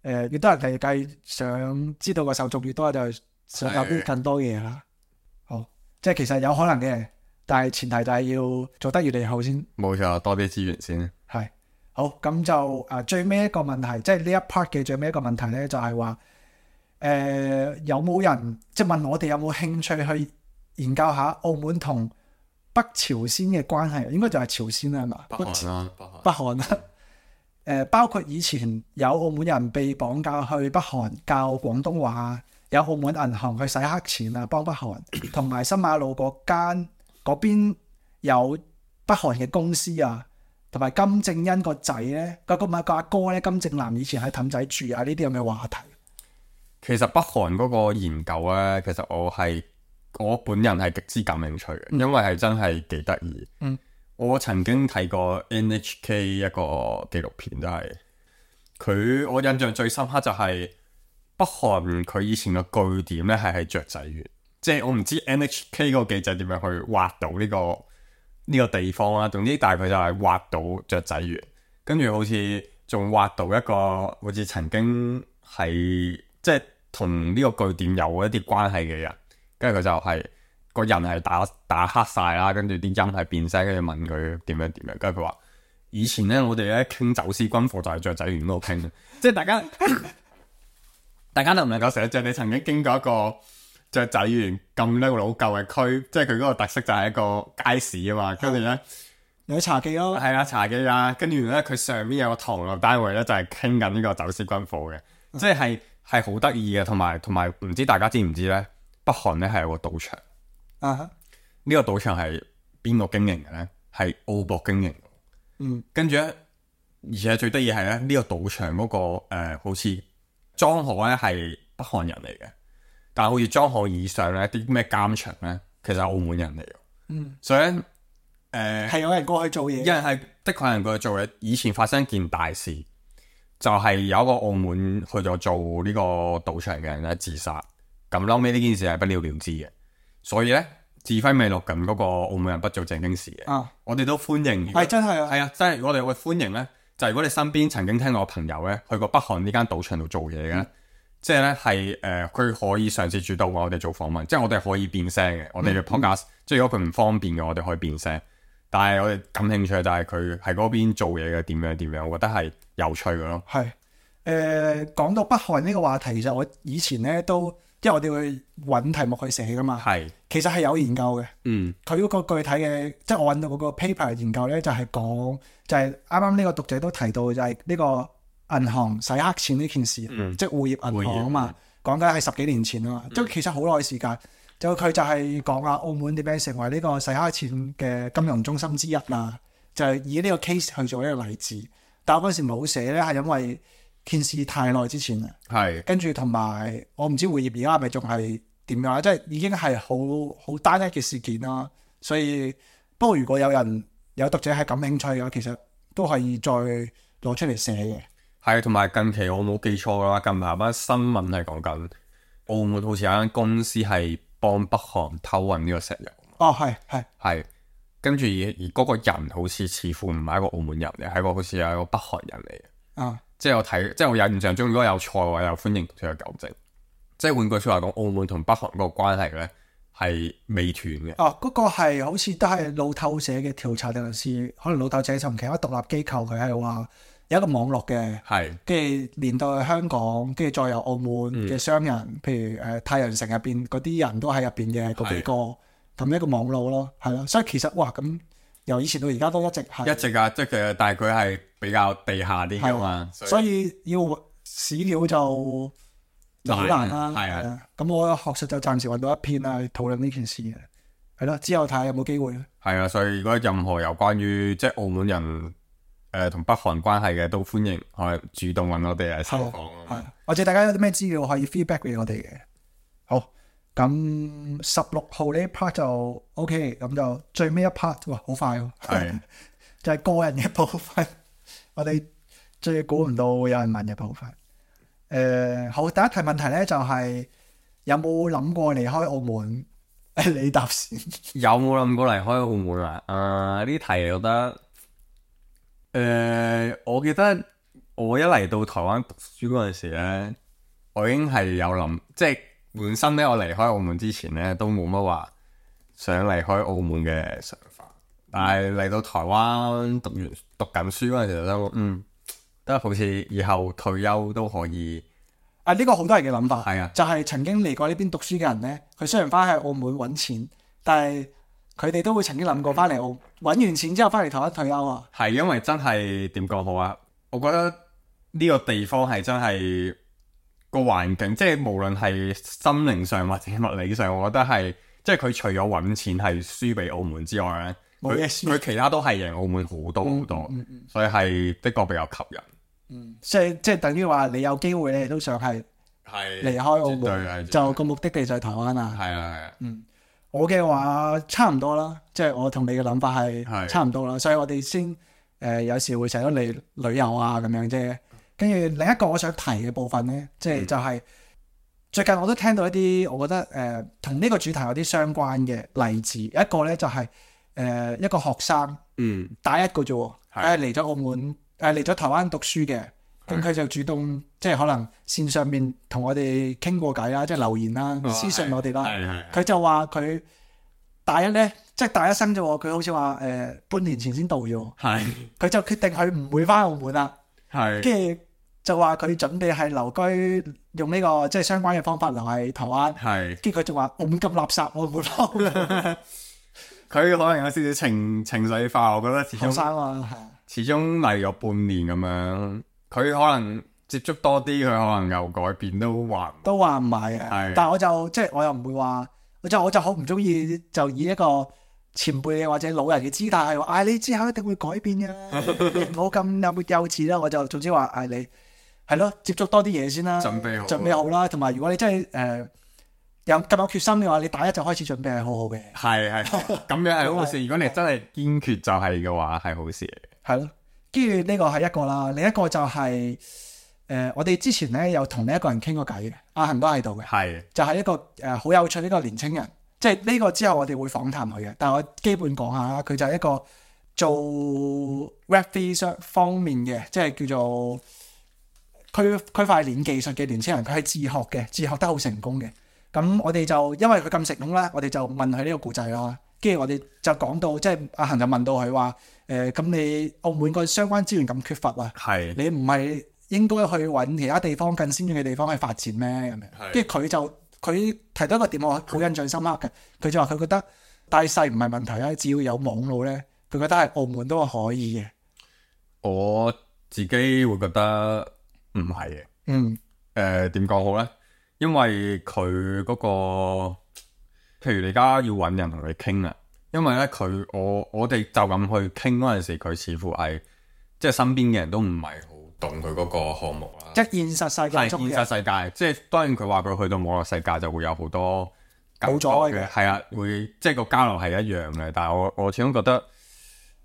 誒越多人嚟計，想知道個受眾越多，就想有啲更多嘅嘢啦。好，即係其實有可能嘅，但係前提就係要做得越嚟越好先。冇錯，多啲資源先。係好，咁就誒、呃、最尾一個問題，即係呢一 part 嘅最尾一個問題咧，就係話。誒、呃、有冇人即係問我哋有冇興趣去研究下澳門同北朝鮮嘅關係？應該就係朝鮮啦，係嘛？北韓啦，北韓啦。誒、呃、包括以前有澳門人被綁架去北韓教廣東話，有澳門銀行去洗黑錢啊，幫北韓，同埋新馬路嗰間嗰邊有北韓嘅公司啊，同埋金正恩個仔咧，個個咪個阿哥咧，金正男以前喺氹仔住啊，呢啲咁嘅話題。其實北韓嗰個研究咧，其實我係我本人係極之感興趣嘅，因為係真係幾得意。嗯，我曾經睇過 N H K 一個紀錄片，都係佢我印象最深刻就係北韓佢以前嘅據點咧係喺雀仔園，即係我唔知 N H K 嗰個記者點樣去挖到呢個呢個地方啦。總之大概就係挖到雀仔園，跟住好似仲挖到一個好似曾經係即係同呢個據點有一啲關係嘅人，跟住佢就係、是、個人係打打黑晒啦，跟住啲音係變聲，跟住問佢點樣點樣，跟住佢話以前咧我哋咧傾走私軍貨就係雀仔園嗰度傾，即係大家大家能唔能夠想像你曾經經過一個雀仔園咁呢個老舊嘅區，即係佢嗰個特色就係一個街市啊嘛，跟住咧有茶記咯，係啊茶記啊，跟住咧佢上面有個唐樓單位咧就係傾緊呢個走私軍貨嘅，嗯、即係。係好得意嘅，同埋同埋唔知大家知唔知咧？北韓咧係有個賭場，啊哈！呢個賭場係邊個經營嘅咧？係澳博經營。嗯，跟住咧，而且最得意係咧，呢、這個賭場嗰、那個誒、呃，好似莊荷咧係北韓人嚟嘅，但係好似莊荷以上咧啲咩監場咧，其實係澳門人嚟嘅。嗯，所以咧，誒、呃、係有人過去做嘢，有人係的確有人過去做嘢。以前發生一件大事。就係有一個澳門去咗做呢個賭場嘅人咧自殺，咁後尾呢件事係不了了之嘅，所以咧志輝未錄緊嗰個澳門人不做正經事嘅，啊、我哋都歡迎，係真係啊，係啊，真係我哋會歡迎咧，就係、如果你身邊曾經聽過朋友咧去過北韓呢間賭場度做嘢嘅，嗯、即係咧係誒佢可以嘗試主動我哋做訪問，即係我哋可以變聲嘅，我哋嘅 podcast，、嗯、即係如果佢唔方便嘅，我哋可以變聲。但係我哋感興趣就係佢喺嗰邊做嘢嘅點樣點樣，我覺得係有趣嘅咯。係誒講到北韓呢個話題，其實我以前咧都，因為我哋會揾題目去寫噶嘛。係是其實係有研究嘅。嗯，佢嗰個具體嘅，即係我揾到嗰個 paper 研究咧，就係、是、講就係啱啱呢個讀者都提到，就係呢個銀行洗黑錢呢件事，嗯、即係滬業銀行啊嘛，講緊係十幾年前啊嘛，即係、嗯、其實好耐時間。就佢就係講啊，澳門點樣成為呢個洗黑錢嘅金融中心之一啊？就係、是、以呢個 case 去做一個例子。但我嗰時冇寫咧，係因為件事太耐之前啦。係是。跟住同埋我唔知滬業而家係咪仲係點樣啦？即係已經係好好單一嘅事件啦。所以不過如果有人有讀者係感興趣嘅話，其實都可以再攞出嚟寫嘅。係，同埋近期我冇記錯嘅話，近排班新聞係講緊澳門好似有間公司係幫北韓偷運呢個石油。哦，係係係，跟住而而嗰個人好似似乎唔係一個澳門人嚟，係個好似係一個北韓人嚟嘅。啊，即係我睇，即係我印象中，如果有錯嘅話，又歡迎佢嘅糾正。即係換句説話講，澳門同北韓嗰個關係咧係未斷嘅。哦，嗰、那個係好似都係路透社嘅調查定係可能路透社同其他獨立機構佢係話有一個網絡嘅，係跟住連到去香港，跟住再有澳門嘅商人，嗯、譬如誒、呃、太陽城入邊嗰啲人都喺入邊嘅嗰幾個，咁一個網路咯，係咯。所以其實哇，咁由以前到而家都一直係一直啊，即係其實但係佢係比較地下啲㗎嘛，所以要史料就就好難啦。係啊，咁我學術就暫時揾到一篇啦，討論呢件事嘅，係咯。之後睇下有冇機會咧。係啊，所以如果任何有關於即係澳門人誒同、呃、北韓關係嘅，都歡迎可以主動揾我哋嚟採訪。係，或者大家有啲咩資料可以 feedback 俾我哋嘅。好，咁十六號呢一 part 就 OK，咁就最尾一 part， 哇，好快喎、啊！係，就係個人嘅部分，我哋最估唔到會有人問嘅部分。誒、呃，好，第一題問題咧就係、是、有冇諗過離開澳門？誒，你答先。有冇諗過離開澳門啊？誒、呃，呢題我覺得，誒、呃，我記得我一嚟到台灣讀書嗰陣時咧，我已經係有諗，即係本身咧，我離開澳門之前咧都冇乜話想離開澳門嘅想法，但係嚟到台灣讀完讀緊書嗰陣時就嗯。都好似以後退休都可以啊！呢、這個好多人嘅諗法，係啊，就係曾經嚟過呢邊讀書嘅人咧，佢雖然翻喺澳門揾錢，但係佢哋都會曾經諗過翻嚟澳揾完錢之後翻嚟台灣退休啊。係因為真係點講好啊？我覺得呢個地方係真係個環境，即係無論係心靈上或者物理上，我覺得係即係佢除咗揾錢係輸俾澳門之外咧，佢佢其他都係贏澳門好多好多，嗯嗯嗯、所以係的確比較吸引。嗯，即係即係等於話你有機會你都想係離開澳門，就個目的地就係台灣啊。係啊係啊。嗯，我嘅話差唔多啦，即係我同你嘅諗法係差唔多啦，所以我哋先誒、呃、有時會成日嚟旅遊啊咁樣啫。跟住另一個我想提嘅部分咧，即係就係、是嗯、最近我都聽到一啲我覺得誒同呢個主題有啲相關嘅例子。一個咧就係、是、誒、呃、一個學生，嗯，大一個啫喎，佢係嚟咗澳門。誒嚟咗台灣讀書嘅，咁佢就主動即係可能線上面同我哋傾過偈啦，即係留言啦、哦、私信我哋啦。佢就話佢大一咧，即係大一生啫喎，佢好似話誒半年前先到咗。係，佢就決定佢唔會翻澳門啦。係，跟住就話佢準備係留居，用呢、呢個即係相關嘅方法留喺台灣。係，跟住佢就話澳門咁垃圾，我唔會翻。佢可能有少少情情緒化，我覺得始終。學生啊，係。始終嚟咗半年咁樣，佢可能接觸多啲，佢可能有改變都話都話唔係嘅。但係我就即係我又唔會話，我就我就好唔中意就以一個前輩或者老人嘅姿態係話，唉，你之後一定會改變嘅，唔好咁幼幼稚啦。我就總之話唉，你係咯，接觸多啲嘢先啦，準備好，準備好啦。同埋如果你真係誒、呃、有咁有決心嘅話，你大一就開始準備係好好嘅。係係咁樣係好事。如果你真係堅決就係嘅話，係好事嚟嘅。係咯，跟住呢個係一個啦，另一個就係、是、誒、呃，我哋之前咧有同呢一個人傾過偈嘅，阿恒都喺度嘅，係就係、是、一個誒好、呃、有趣呢個年青人，即係呢個之後我哋會訪談佢嘅，但係我基本講下啦，佢就係一個做 Web 三方面嘅，即係叫做區區塊鏈技術嘅年青人，佢係自學嘅，自學得好成功嘅。咁我哋就因為佢咁成功啦，我哋就問佢呢個故仔啦。跟住我哋就講到，即係阿恒就問到佢話：誒、呃，咁你澳門個相關資源咁缺乏啊？係你唔係應該去揾其他地方更先進嘅地方去發展咩？咁樣，跟住佢就佢提到一個點，我好印象深刻嘅。佢就話佢覺得大細唔係問題啊，只要有網路咧，佢覺得係澳門都可以嘅。我自己會覺得唔係嘅。嗯。誒點講好咧？因為佢嗰個。譬如你而家要揾人同佢傾啊，因為咧佢我我哋就咁去傾嗰陣時，佢似乎係即係身邊嘅人都唔係好懂佢嗰個項目啦。即係現實世界，係現實世界，即係當然佢話佢去到網絡世界就會有好多冇咗嘅，係啊，會即係個交流係一樣嘅。但係我我始終覺得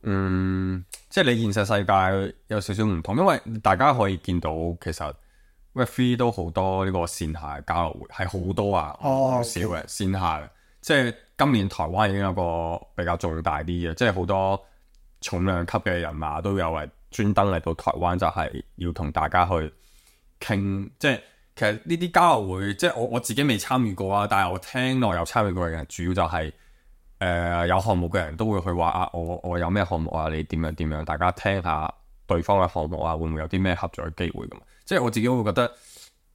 嗯，即係你現實世界有少少唔同，因為大家可以見到其實 Web three 都好多呢個線下交流會係好多啊，好少嘅線下嘅。即係今年台灣已經有個比較重大啲嘅，即係好多重量級嘅人馬都有係專登嚟到台灣，就係要同大家去傾。即係其實呢啲交流會，即係我我自己未參與過啊，但係我聽落有參與過嘅人，主要就係、是、誒、呃、有項目嘅人都會去話啊，我我有咩項目啊，你點樣點樣，大家聽下對方嘅項目啊，會唔會有啲咩合作嘅機會咁？即係我自己會覺得。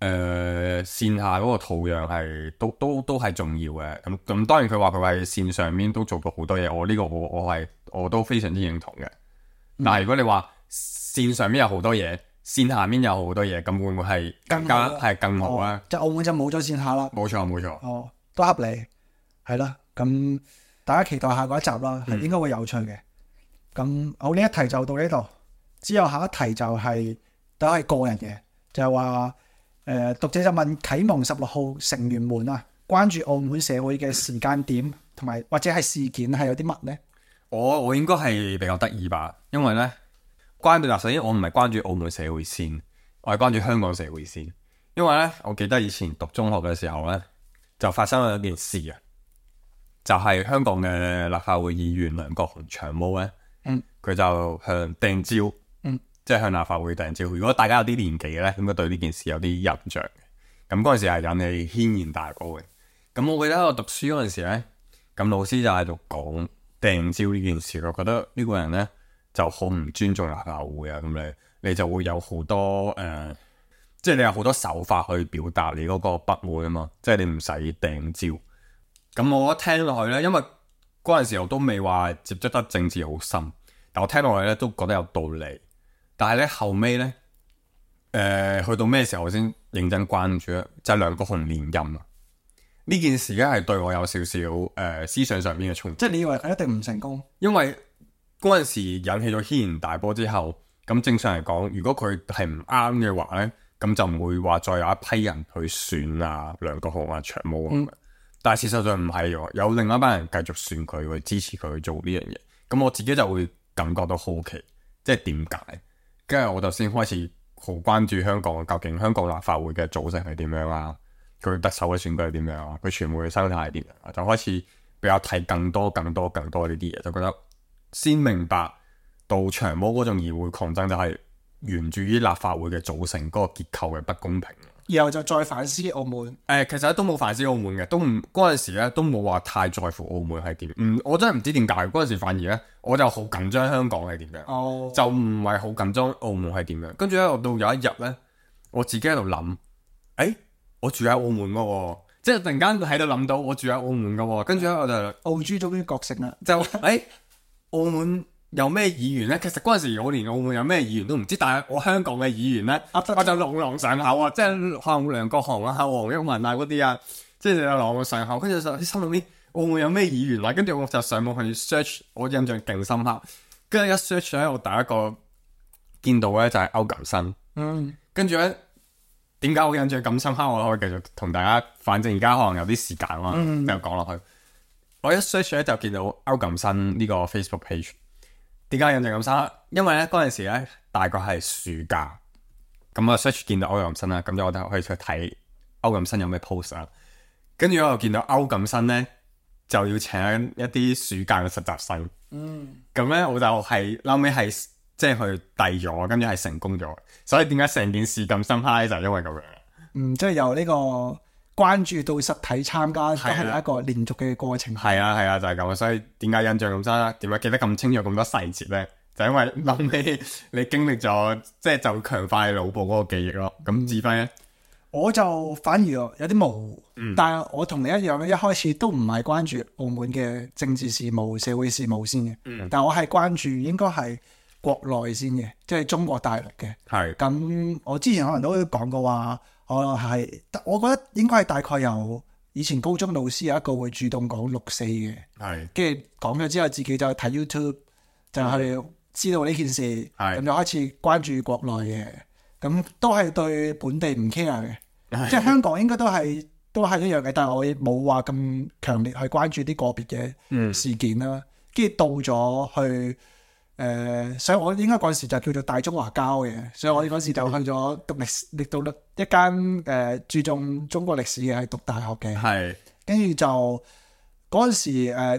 誒、呃、線下嗰個土壤係都都都係重要嘅，咁咁當然佢話佢喺線上面都做到好多嘢，我呢個我我係我都非常之認同嘅。但係如果你話線上面有好多嘢，線下面有好多嘢，咁會唔會係更加係更好咧？即係澳門就冇咗線下啦。冇錯冇錯。哦，都合理，係啦。咁大家期待下嗰一集啦，係應該會有趣嘅。咁、嗯、好，呢一題就到呢度，之後下一題就係、是、都係個人嘅，就係話。誒、呃、讀者就問啟蒙十六號成員們啊，關注澳門社會嘅時間點同埋或者係事件係有啲乜呢？我我應該係比較得意吧，因為咧關注嗱，首先我唔係關注澳門社會先，我係關注香港社會先。因為咧，我記得以前讀中學嘅時候咧，就發生咗一件事啊，就係、是、香港嘅立法會議員梁國雄長毛咧，嗯，佢就向掟蕉。即係向立法會掟蕉。如果大家有啲年紀嘅咧，應該對呢件事有啲印象嘅。咁嗰陣時係引起軒然大波嘅。咁我記得我讀書嗰陣時咧，咁老師就喺度講掟蕉呢件事。我覺得呢個人咧就好唔尊重立法會啊。咁你你就會有好多誒、呃，即係你有好多手法去表達你嗰個不滿啊嘛。即係你唔使掟蕉。咁我一聽落去咧，因為嗰陣時我都未話接觸得政治好深，但我聽落去咧都覺得有道理。但係咧後尾咧，誒、呃、去到咩時候我先認真關注咧？就係、是、梁國雄連任啊！呢件事咧係對我有少少誒、呃、思想上邊嘅衝擊。即係你以為佢一定唔成功？因為嗰陣時引起咗軒然大波之後，咁正常嚟講，如果佢係唔啱嘅話咧，咁就唔會話再有一批人去選啊梁國雄啊長毛啊。嗯、但係事實上唔係喎，有另外一班人繼續選佢，去支持佢去做呢樣嘢。咁我自己就會感覺到好奇，即係點解？跟住我就先開始好關注香港，究竟香港立法會嘅組成係點樣啊？佢特首嘅選舉係點樣啊？佢傳媒嘅生態係點樣啊？就開始比較睇更多、更多、更多呢啲嘢，就覺得先明白到長毛嗰種議會抗爭就係源自於立法會嘅組成嗰個結構嘅不公平。然後就再反思澳門。誒、呃，其實都冇反思澳門嘅，都唔嗰陣時咧都冇話太在乎澳門係點。唔，我真係唔知點解嗰陣時反而咧，我就好緊張香港係點樣，哦、就唔係好緊張澳門係點樣。跟住咧，我到有一日咧，我自己喺度諗，誒、欸，我住喺澳門噶喎，即係突然間喺度諗到我住喺澳門噶喎。跟住咧，我就澳豬終於覺醒啦，就誒、欸，澳門有咩議員咧？其實嗰陣時我連澳門有咩議員都唔知，但係我香港嘅議員咧，我就朗朗上口啊！即係可能梁國雄啊、黃毓民啊嗰啲啊，即係朗朗上口。跟住就心諗啲澳門有咩議員啊？跟住我就上網去 search，我印象勁深刻。跟住一 search 咧，我第一個見到咧就係歐錦新。嗯，跟住咧點解我印象咁深刻？我可以繼續同大家，反正而家可能有啲時間啊，嗯、繼續講落去。我一 search 咧就見到歐錦新呢個 Facebook page。點解印象咁深刻？因為咧嗰陣時咧大概係暑假，咁我 search 見到歐錦新啦，咁就我就可以去睇歐錦新有咩 post 啦。跟住我又見到歐錦新咧就要請一啲暑假嘅實習生，嗯，咁咧我就係後尾係即係去遞咗，跟住係成功咗。所以點解成件事咁深刻咧？就係因為咁樣。嗯，即係由呢個關注到實體參加，都係一個連續嘅過程。係啊係啊，就係、是、咁。所以點解印象咁深刻？點解記得咁清楚咁多細節咧？就因為諗起你經歷咗，即係就強化你腦部嗰個記憶咯。咁志輝咧，我就反而有啲模糊，嗯、但係我同你一樣咧，一開始都唔係關注澳門嘅政治事務、社會事務先嘅。嗯、但係我係關注應該係國內先嘅，即係中國大陸嘅。係咁是，我之前可能都講過話。我係，我覺得應該係大概由以前高中老師有一個會主動講六四嘅，係跟住講咗之後，自己就睇 YouTube 就係知道呢件事，咁是就開始關注國內嘅，咁都係對本地唔 care 嘅，是即係香港應該都係都係一樣嘅，但係我冇話咁強烈去關注啲個別嘅事件啦。跟住、嗯、到咗去誒，所以我應該嗰陣時就叫做大中華交嘅，所以我嗰時就去咗讀歷史，讀到一間誒、呃、注重中國歷史嘅，係讀大學嘅。係。跟住就嗰陣時、呃、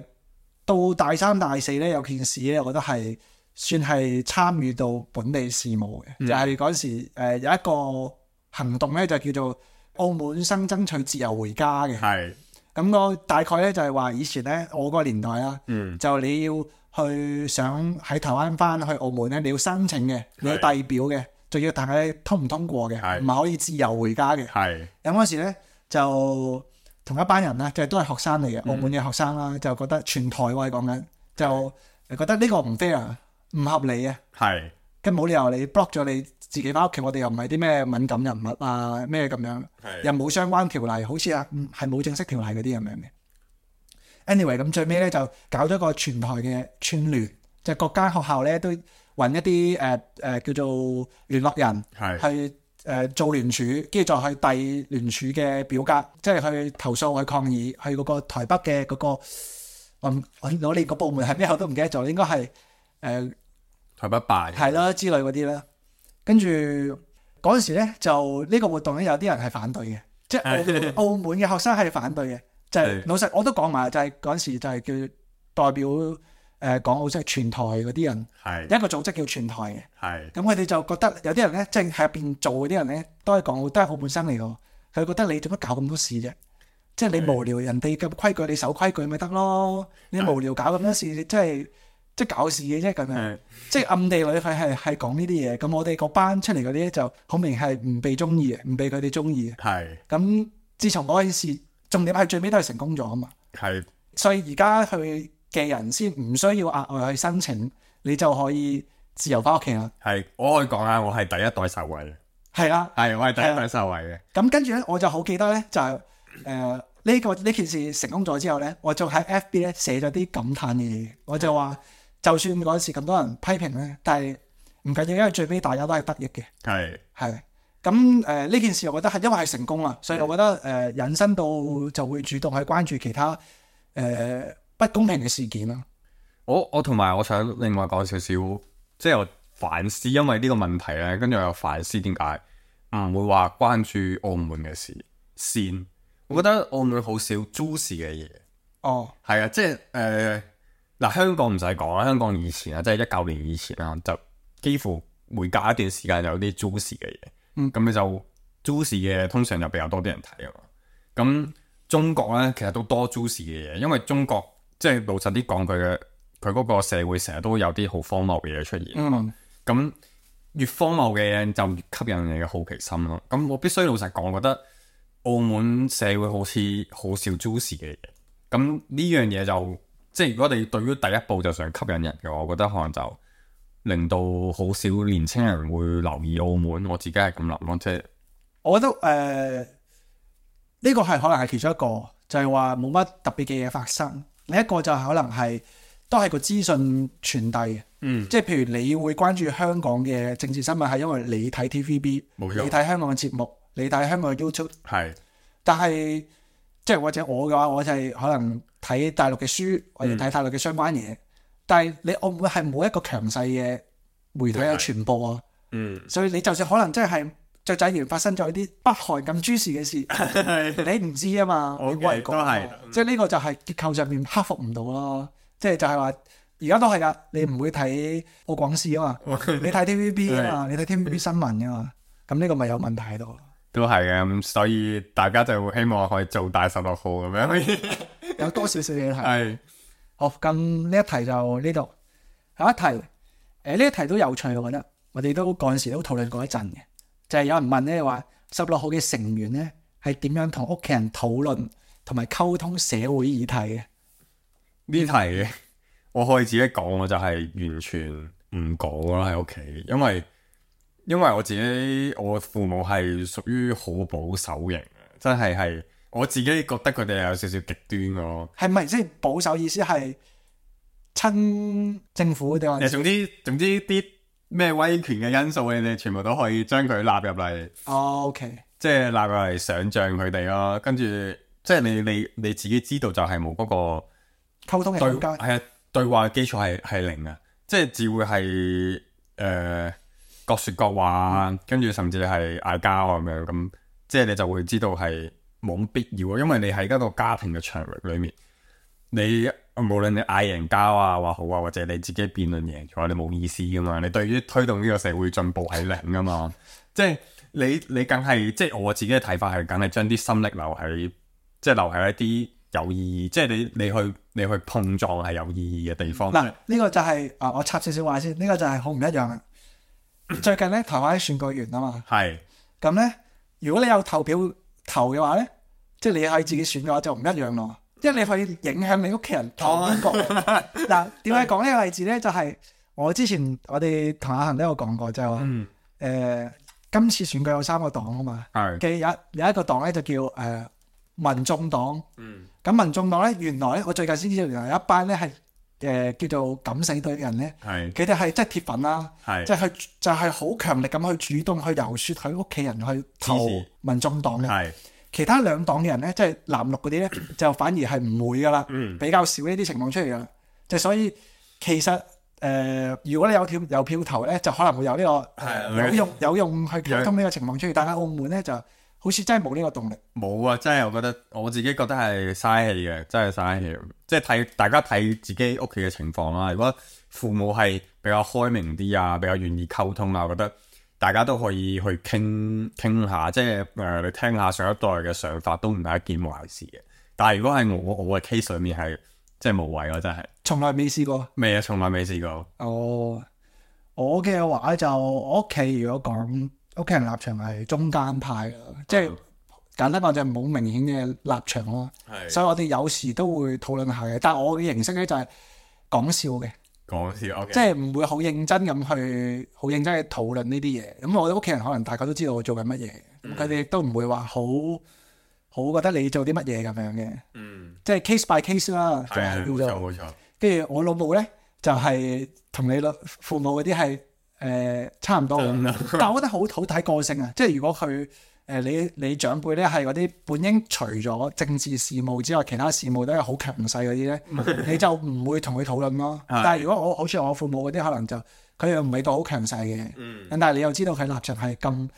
到大三大四咧有件事咧，我覺得係算係參與到本地事務嘅，嗯、就係嗰陣時、呃、有一個行動咧，就叫做澳門生爭取自由回家嘅。係。咁我大概咧就係話以前咧我個年代啦，嗯、就你要去想喺台灣翻去澳門咧，你要申請嘅，你要遞表嘅，仲要睇下通唔通過嘅，唔係可以自由回家嘅。係。咁嗰時咧就同一班人啦，即係都係學生嚟嘅，澳門嘅學生啦，嗯、就覺得全台喎講緊，就覺得呢個唔 fair，唔合理啊。係。咁冇理由你 block 咗你自己翻屋企，我哋又唔係啲咩敏感人物啊，咩咁樣，又冇相關條例，好似啊，係冇正式條例嗰啲咁樣嘅。anyway， 咁最尾咧就搞咗個全台嘅串聯，就係、各間學校咧都揾一啲誒誒叫做聯絡人，去誒、呃、做聯署，跟住再去遞聯署嘅表格，即係去投訴去抗議，去嗰個台北嘅嗰、嗰個我我我哋個部門係咩我都唔記得咗，應該係誒。呃台北辦係啦之類嗰啲啦，跟住嗰陣時咧就呢個活動咧有啲人係反對嘅，即係澳澳門嘅學生係反對嘅，就係、是、老實我都講埋，就係嗰陣時就係叫代表誒、呃、港澳即係全台嗰啲人，係一個組織叫全台嘅，係咁佢哋就覺得有啲人咧即係喺入邊做嗰啲人咧都係港澳都係澳門生嚟嘅，佢覺得你做乜搞咁多事啫？即係你無聊人哋嘅規矩你守規矩咪得咯，你無聊搞咁多事你真係。即係搞事嘅啫咁樣，即係暗地裏佢係係講呢啲嘢。咁我哋個班出嚟嗰啲咧就好明係唔被中意嘅，唔被佢哋中意嘅。係。咁自從嗰件事，重點係最尾都係成功咗啊嘛。係。所以而家去嘅人先唔需要額外去申請，你就可以自由翻屋企啦。係，我可以講下，我係第一代受惠嘅。係啦。係，我係第一代受惠嘅。咁跟住咧，我就好記得咧，就係誒呢個呢件事成功咗之後咧，我就喺 F B 咧寫咗啲感嘆嘅嘢，我就話。就算嗰時咁多人批評咧，但係唔緊要，因為最尾大家都係得益嘅。係係咁誒呢件事，我覺得係因為係成功啦，所以我覺得誒、呃、引申到就會主動去關注其他誒、呃、不公平嘅事件啦。我我同埋我想另外講少少，即係我反思，因為呢個問題咧，跟住我又反思點解唔會話關注澳門嘅事先。我覺得澳門好少 juicy 嘅嘢。哦，係啊，即係誒。呃嗱，香港唔使講啦，香港以前啊，即係一九年以前啦，就幾乎每隔一段時間就有啲 juicy 嘅嘢。嗯，咁你就 juicy 嘅通常就比較多啲人睇啊嘛。咁中國咧其實都多 juicy 嘅嘢，因為中國即係老實啲講，佢嘅佢嗰個社會成日都有啲好荒謬嘅嘢出現。嗯，咁越荒謬嘅嘢就越吸引你嘅好奇心咯。咁我必須老實講，我覺得澳門社會好似好少 juicy 嘅嘢。咁呢樣嘢就即係如果你對於第一步就想吸引人嘅話，我覺得可能就令到好少年青人會留意澳門。我自己係咁諗咯，即係我覺得誒呢、呃這個係可能係其中一個，就係話冇乜特別嘅嘢發生。另一個就係可能係都係個資訊傳遞，嗯，即係譬如你會關注香港嘅政治新聞，係因為你睇 T V B，你睇香港嘅節目，你睇香港嘅 YouTube，係。但係即係或者我嘅話，我就係可能睇大陸嘅書，或者睇大陸嘅相關嘢、嗯。但係你澳門係冇一個強勢嘅媒體有傳播啊，嗯，所以你就算可能真係雀仔園發生咗啲北韓咁諸事嘅事，你唔知啊嘛。我覺得都係，即係呢個就係結構上面克服唔到咯。即係就係話，而家都係噶，你唔會睇澳廣視啊嘛，你睇 T V B 啊嘛，你睇 T V B 新聞啊嘛，咁呢個咪有問題喺度。都係嘅，咁所以大家就會希望可以做大十六號咁樣，有多少少嘢睇。係，好，咁呢一題就呢度。下一題，誒、呃、呢一題都有趣，我覺得，我哋都嗰陣時都討論過一陣嘅，就係、是、有人問咧話，十六號嘅成員咧係點樣同屋企人討論同埋溝通社會議題嘅？呢題我可以自己講，我就係完全唔講啦喺屋企，因為。因為我自己我父母係屬於好保守型嘅，真係係我自己覺得佢哋有少少極端咯。係咪即係保守意思係親政府定係？誒，總之總之啲咩威權嘅因素，你哋全部都可以將佢納入嚟。哦，OK，即係納入嚟想像佢哋咯。跟住即係你你你自己知道就係冇嗰個溝通嘅空間，係啊，對話嘅基礎係係零啊。即即係只會係誒、呃、各説各話，嗯、跟住甚至係嗌交咁樣咁，即係你就會知道係冇乜必要啊，因為你喺嗰個家庭嘅場域裏面，你無論你嗌贏交啊話好啊，或者你自己辯論贏咗，你冇意思噶嘛，你對於推動呢個社會進步係零噶嘛，即係你你梗係即係我自己嘅睇法係梗係將啲心力留喺即係留喺一啲有意義，即係你你去你去碰撞係有意義嘅地方。嗱，呢個就係、是、啊，我插少少話先，呢、這個就係好唔一樣啊。最近咧，台灣選舉完啊嘛，係咁咧，如果你有投票投嘅話咧，即係你可以自己選嘅話就唔一樣咯，因為你可以影響你屋企人投邊個。嗱，點解講呢個例子咧？就係、是、我之前我哋同阿恒都有講過，就係話誒今次選舉有三個黨啊嘛，嘅有有一個黨咧就叫誒、呃、民眾黨。嗯。咁民眾黨咧，原來咧，我最近先知道，原來有一班咧係誒叫做敢死隊嘅人咧，佢哋係即係鐵粉啦，即係去就係好強力咁去主動去遊說佢屋企人去投民眾黨嘅。其他兩黨嘅人咧，即係藍綠嗰啲咧，就反而係唔會噶啦，嗯、比較少呢啲情況出嚟噶啦。就所以其實誒、呃，如果你有票有票投咧，就可能會有呢、這個、呃、有用有用去溝通呢個情況出嚟。但係澳門咧就好似真係冇呢個動力，冇啊！真係我覺得我自己覺得係嘥氣嘅，真係嘥氣。即係睇大家睇自己屋企嘅情況啦。如果父母係比較開明啲啊，比較願意溝通啊，我覺得大家都可以去傾傾下，即係誒、呃、你聽下上一代嘅想法都唔係一件壞事嘅。但係如果係我我嘅 case 上面係即係無謂咯，真係從來未試過，未啊，從來未試過。哦，我嘅話就我屋企如果講。屋企人立場係中間派嘅，即係簡單講就冇明顯嘅立場咯。係，所以我哋有時都會討論下嘅。但係我嘅形式咧就係講笑嘅，講笑，okay. 即係唔會好認真咁去好認真去討論呢啲嘢。咁我哋屋企人可能大家都知道我做緊乜嘢，咁佢哋亦都唔會話好好覺得你做啲乜嘢咁樣嘅。嗯，即係 case by case 啦。係啊，冇錯冇錯。跟住我老母咧就係、是、同你老父母嗰啲係。誒、呃、差唔多，但係我覺得好好睇個性啊！即係如果佢誒、呃、你你長輩咧係嗰啲本應除咗政治事務之外，其他事務都係好強勢嗰啲咧，你就唔會同佢討論咯。但係如果我好似我父母嗰啲，可能就佢又唔係到好強勢嘅，嗯、但係你又知道佢立場係咁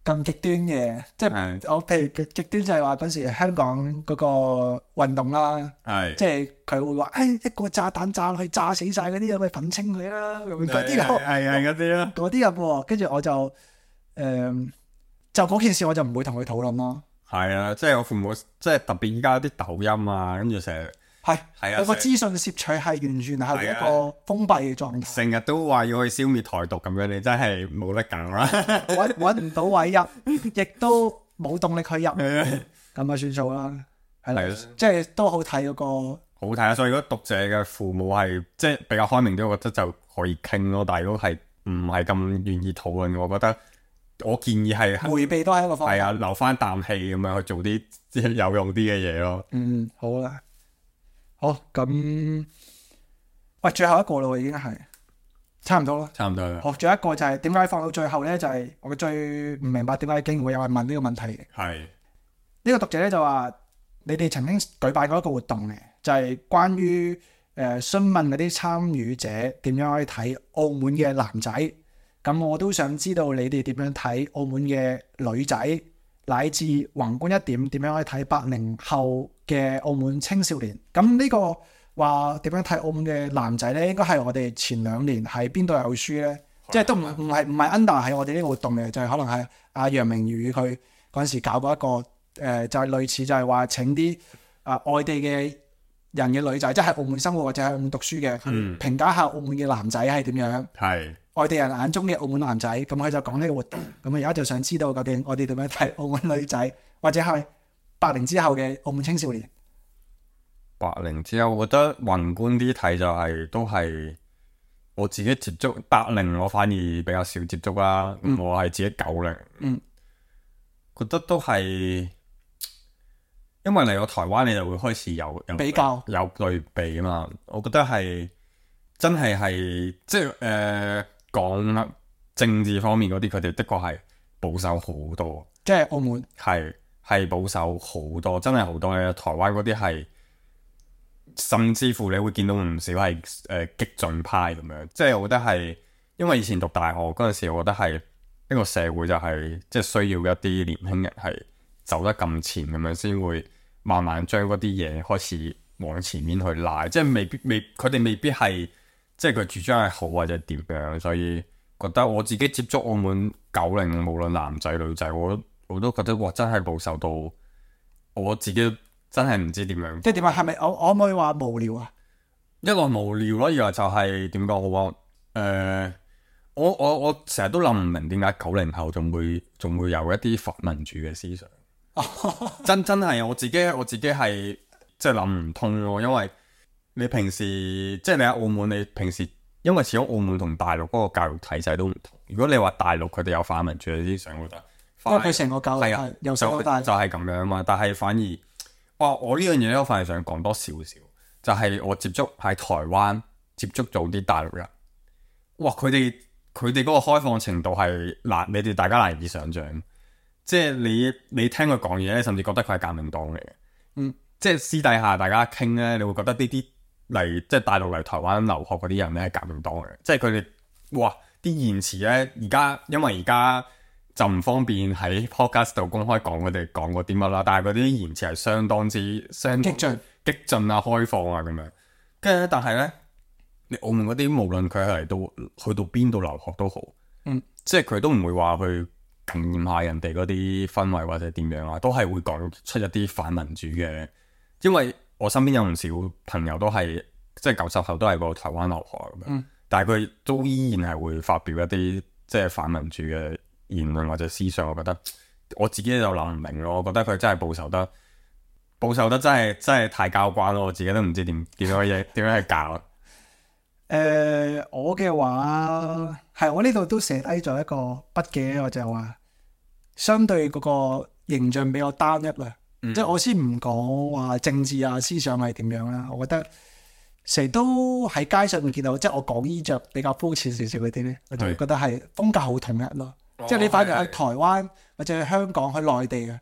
咁極端嘅，即係我譬如極極端就係話嗰時香港嗰個運動啦，即係佢會話誒、哎、一個炸彈炸落去炸死晒嗰啲人咪粉清佢啦，咁嗰啲係係嗰啲咯，嗰啲人喎，跟住我就誒、呃、就嗰件事我就唔會同佢討論咯。係啊，即係我父母即係特別依家啲抖音啊，跟住成日。係，係啊！個資訊攝取係完全係一個封閉嘅狀態。成日都話要去消滅台獨咁樣，你真係冇得揀啦！揾揾唔到位入，亦都冇動力去入，咁啊算數啦。係啦，即係都好睇嗰個。好睇啊！所以如果讀者嘅父母係即係比較開明啲，我覺得就可以傾咯。但係如果係唔係咁願意討論，我覺得我建議係迴避都係一個方法。係啊，留翻啖氣咁樣去做啲即係有用啲嘅嘢咯。嗯，好啦。好咁，喂，最後一個咯，已經係差唔多咯，差唔多啦。好，仲有一個就係點解放到最後咧？就係、是、我最唔明白點解竟然會有人問呢個問題嘅。係呢、這個讀者咧就話：你哋曾經舉辦過一個活動嘅，就係、是、關於誒、呃、詢問嗰啲參與者點樣去睇澳門嘅男仔。咁我都想知道你哋點樣睇澳門嘅女仔，乃至宏觀一點點樣去睇八零後嘅澳門青少年。咁呢個話點樣睇澳門嘅男仔咧？應該係我哋前兩年喺邊度有書咧，即係都唔唔係唔係 under 喺我哋呢個活動嘅，就係、是、可能係阿楊明宇佢嗰陣時搞過一個誒、呃，就係、是、類似就係話請啲啊、呃、外地嘅人嘅女仔，即係澳門生活或者喺澳門讀書嘅，嗯、評價下澳門嘅男仔係點樣。係。外地人眼中嘅澳門男仔，咁佢就講呢個活動。咁而家就想知道究竟我哋點樣睇澳門女仔，或者係八零之後嘅澳門青少年。八零之後，我覺得宏觀啲睇就係、是、都係我自己接觸。八零我反而比較少接觸啦，嗯、我係自己九零。嗯，覺得都係，因為嚟到台灣你就會開始有，有比較有對比啊嘛。我覺得係真係係即係誒。呃講政治方面嗰啲，佢哋的確係保守好多。即係澳門係係保守好多，真係好多嘅。台灣嗰啲係甚至乎你會見到唔少係誒、呃、激進派咁樣，即係我覺得係因為以前讀大學嗰陣時，我覺得係一個社會就係、是、即係需要一啲年輕人係走得咁前咁樣，先會慢慢將嗰啲嘢開始往前面去拉，即係未必未佢哋未必係即係佢主張係好或者點樣，所以覺得我自己接觸澳門九零，無論男仔女仔，我我都覺得哇真係保守到我自己真係唔知點樣。即係點啊？係咪我我可唔可以話無聊啊？一來無聊咯，二來就係點講好啊？誒、呃，我我我成日都諗唔明點解九零後仲會仲會有一啲反民主嘅思想。真真係我自己我自己係即係諗唔通咯，因為你平時即係你喺澳門，你平時因為始終澳門同大陸嗰個教育體制都唔同。如果你話大陸佢哋有反民主嘅思想，我覺得因為佢成個教育係由細到大就係咁樣嘛。但係反而哇，我呢樣嘢咧，我反而想講多少少，就係、是、我接觸喺台灣接觸到啲大陸人，哇！佢哋佢哋嗰個開放程度係難，你哋大家難以想像。即係你你聽佢講嘢咧，甚至覺得佢係革命黨嚟嘅。嗯，即係私底下大家傾咧，你會覺得呢啲嚟即係大陸嚟台灣留學嗰啲人咧係革命黨嚟嘅。即係佢哋哇啲言辭咧，而家因為而家就唔方便喺 podcast 度公開講佢哋講過啲乜啦。但係嗰啲言辭係相當之相當激進、激進啊、開放啊咁樣。跟住咧，但係咧，你澳門嗰啲無論佢係嚟到去到邊度留學都好，嗯，即係佢都唔會話去感染下人哋嗰啲氛圍或者點樣啊，都係會講出一啲反民主嘅。因為我身邊有唔少朋友都係即係九十後都係過台灣留學咁樣，嗯、但係佢都依然係會發表一啲即係反民主嘅言論或者思想。我覺得我自己就諗唔明咯，我覺得佢真係保守得保守得真係真係太交關咯，我自己都唔知點點樣嘢點樣去教。誒、呃，我嘅話係我呢度都寫低咗一個筆記，我就話相對嗰個形象比較單一啦。嗯、即係我先唔講話政治啊思想係點樣啦，我覺得成日都喺街上面見到，即係我講衣着比較膚淺少少嗰啲咧，我就覺得係風格好統一咯。哦、即係你反而喺台灣或者喺香港、喺內地嘅，誒、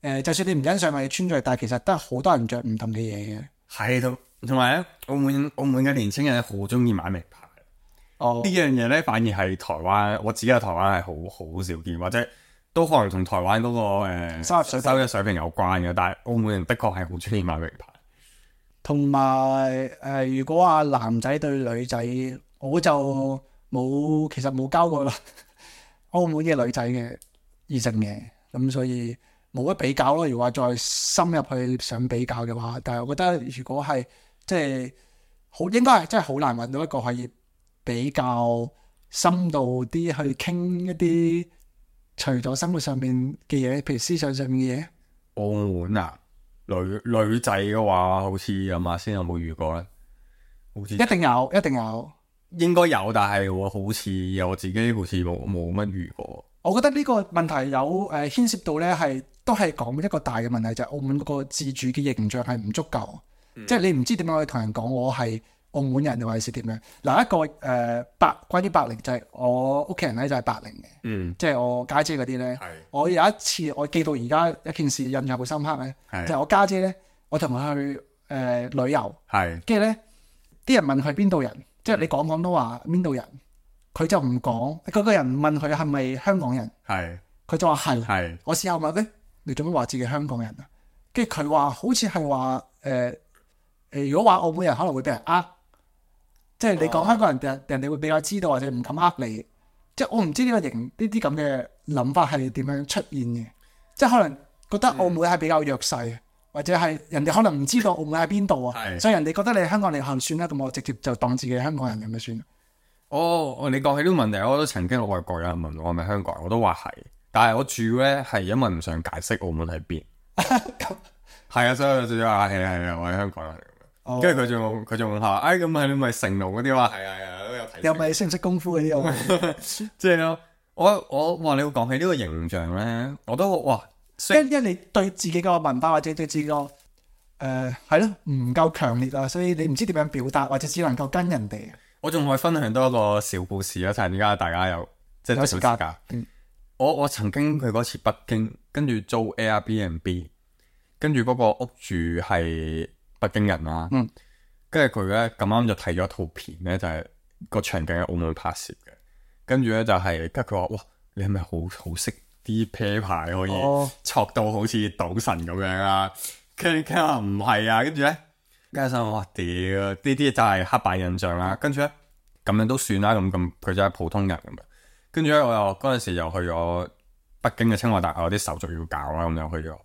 呃，就算你唔欣賞咪穿着，但係其實都係好多人着唔同嘅嘢嘅。係都同埋咧，澳門澳門嘅年輕人好中意買名牌。哦，呢樣嘢咧反而係台灣，我自己喺台灣係好好少見，或者都可能同台灣嗰、那個誒、呃、收入水收入水平有關嘅。但係澳門人的確係好中意買名牌。同埋誒，如果話男仔對女仔，我就冇其實冇交過啦。澳門嘅女仔嘅異性嘅，咁所以冇乜比較咯。如果話再深入去想比較嘅話，但係我覺得如果係即係好，應該係真係好難揾到一個可以比較深度啲去傾一啲除咗生活上面嘅嘢，譬如思想上面嘅嘢。澳門啊，女女仔嘅話，好似有馬先有冇遇過咧？好似一定有，一定有，應該有，但係我好似我自己好似冇冇乜遇過。我覺得呢個問題有誒、呃、牽涉到咧，係都係講一個大嘅問題，就係、是、澳門嗰個自主嘅形象係唔足夠，嗯、即係你唔知點樣去同人講我係澳門人，或者係點樣。嗱，一個誒、呃、白關於白領就係、是、我屋企人咧就係白領嘅，嗯、即係我家姐嗰啲咧。是我有一次我記到而家一件事印象好深刻咧，是就係我家姐咧，我同佢去誒、呃、旅遊，跟住咧啲人問佢邊度人，即係你講廣東話邊度人。佢就唔講，嗰個人問佢係咪香港人，係佢是就話係，是我試下問咧，你做咩話自己香港人啊？跟住佢話好似係話誒誒，如果話澳門人可能會俾人呃，即係你講香港人，人人哋會比較知道或者唔敢呃你。即係我唔知呢個型呢啲咁嘅諗法係點樣出現嘅，即係可能覺得澳門係比較弱勢，嗯、或者係人哋可能唔知道澳門喺邊度啊，是所以人哋覺得你係香港，你行算啦，咁我直接就當自己係香港人咁就算。哦，你講起呢個問題，我都曾經外國有人問我係咪香港人，我都話係，但係我住咧係因為唔想解釋澳門喺邊，係啊，所以我就話係係啊，我係香港人嚟嘅。跟住佢仲佢仲話，哎咁係你咪成龍嗰啲話，係啊係啊，都有睇。又咪識唔識功夫嗰啲？即係咯，我我話你會講起呢個形象咧，我都哇，因因為你對自己個文化或者對自己個誒係咯唔夠強烈啊，所以你唔知點樣表達，或者只能夠跟人哋。我仲可以分享多一個小故事啊！趁而家大家有即係有時間，嗯、我我曾經去過一次北京，跟住租 Airbnb，跟住嗰個屋主係北京人啦。跟住佢咧咁啱就睇咗套片咧，就係、是、個場景喺澳門拍攝嘅。跟住咧就係跟住佢話：哇，你係咪好好識啲啤牌可以戳到好似賭神咁樣啊？跟住佢話唔係啊，跟住咧，跟住我話屌，呢啲就係刻板印象啦。跟住咧咁樣都算啦，咁咁佢就係普通人咁樣。跟住咧我又嗰陣時又去咗北京嘅清華大學，有啲手續要搞啦，咁又去咗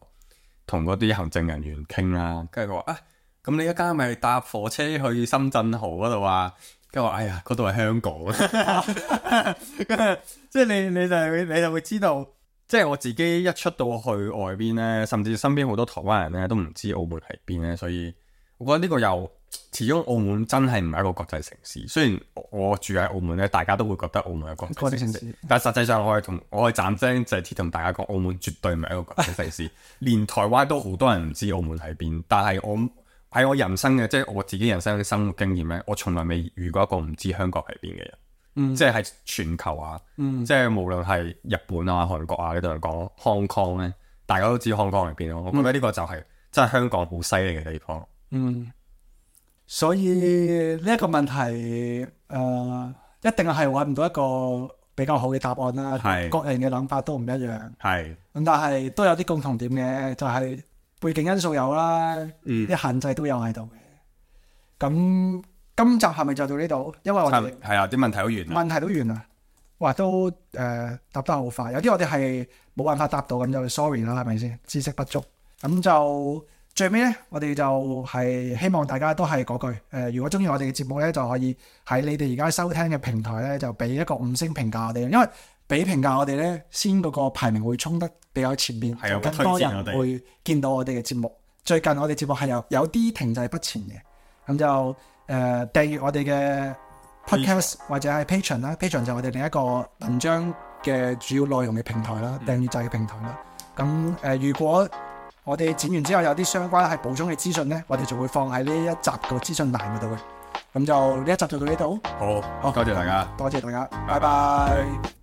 同嗰啲行政人員傾啦。跟住佢話：啊，咁你一家咪搭火車去深圳河嗰度啊？跟住話：哎呀，嗰度係香港。跟住即係你你就會你就會知道。即係我自己一出到去外邊咧，甚至身邊好多台灣人咧都唔知澳門係邊咧，所以我覺得呢個又始終澳門真係唔係一個國際城市。雖然我住喺澳門咧，大家都會覺得澳門係國際城市，城市但係實際上我係同我係斬釘截鐵同大家講，澳門絕對唔係一個國際城市。連台灣都好多人唔知澳門喺邊，但係我喺我人生嘅即係我自己人生嘅生活經驗咧，我從來未遇過一個唔知香港係邊嘅人。嗯、即係喺全球啊，嗯、即係無論係日本啊、韓國啊，呢度嚟講 Hong Kong 咧，大家都知 Hong Kong 喺邊咯。我覺得呢個就係、是嗯、真係香港好犀利嘅地方。嗯，所以呢一個問題，誒、呃，一定係揾唔到一個比較好嘅答案啦。係，各人嘅諗法都唔一樣。係，咁但係都有啲共同點嘅，就係、是、背景因素有啦，啲、嗯、限制都有喺度嘅。咁。今集係咪就到呢度？因為我哋係啊，啲問題好完，問題都完啦。哇，都誒、呃、答得好快。有啲我哋係冇辦法答到，咁就 sorry 啦，係咪先？知識不足。咁就最尾咧，我哋就係希望大家都係嗰句誒、呃，如果中意我哋嘅節目咧，就可以喺你哋而家收聽嘅平台咧，就俾一個五星評價我哋。因為俾評價我哋咧，先嗰個排名會衝得比較前面，就更多人會見到我哋嘅節目。最近我哋節目係有有啲停滯不前嘅，咁就。誒、呃、訂閱我哋嘅 podcast 或者係 Patreon 啦 ，Patreon 就係我哋另一個文章嘅主要內容嘅平台啦，訂閱制嘅平台啦。咁誒、呃，如果我哋剪完之後有啲相關係補充嘅資訊咧，我哋就會放喺呢一集嘅資訊欄嗰度嘅。咁就呢一集就到呢度。好，好，多謝大家，多謝大家，拜拜。拜拜。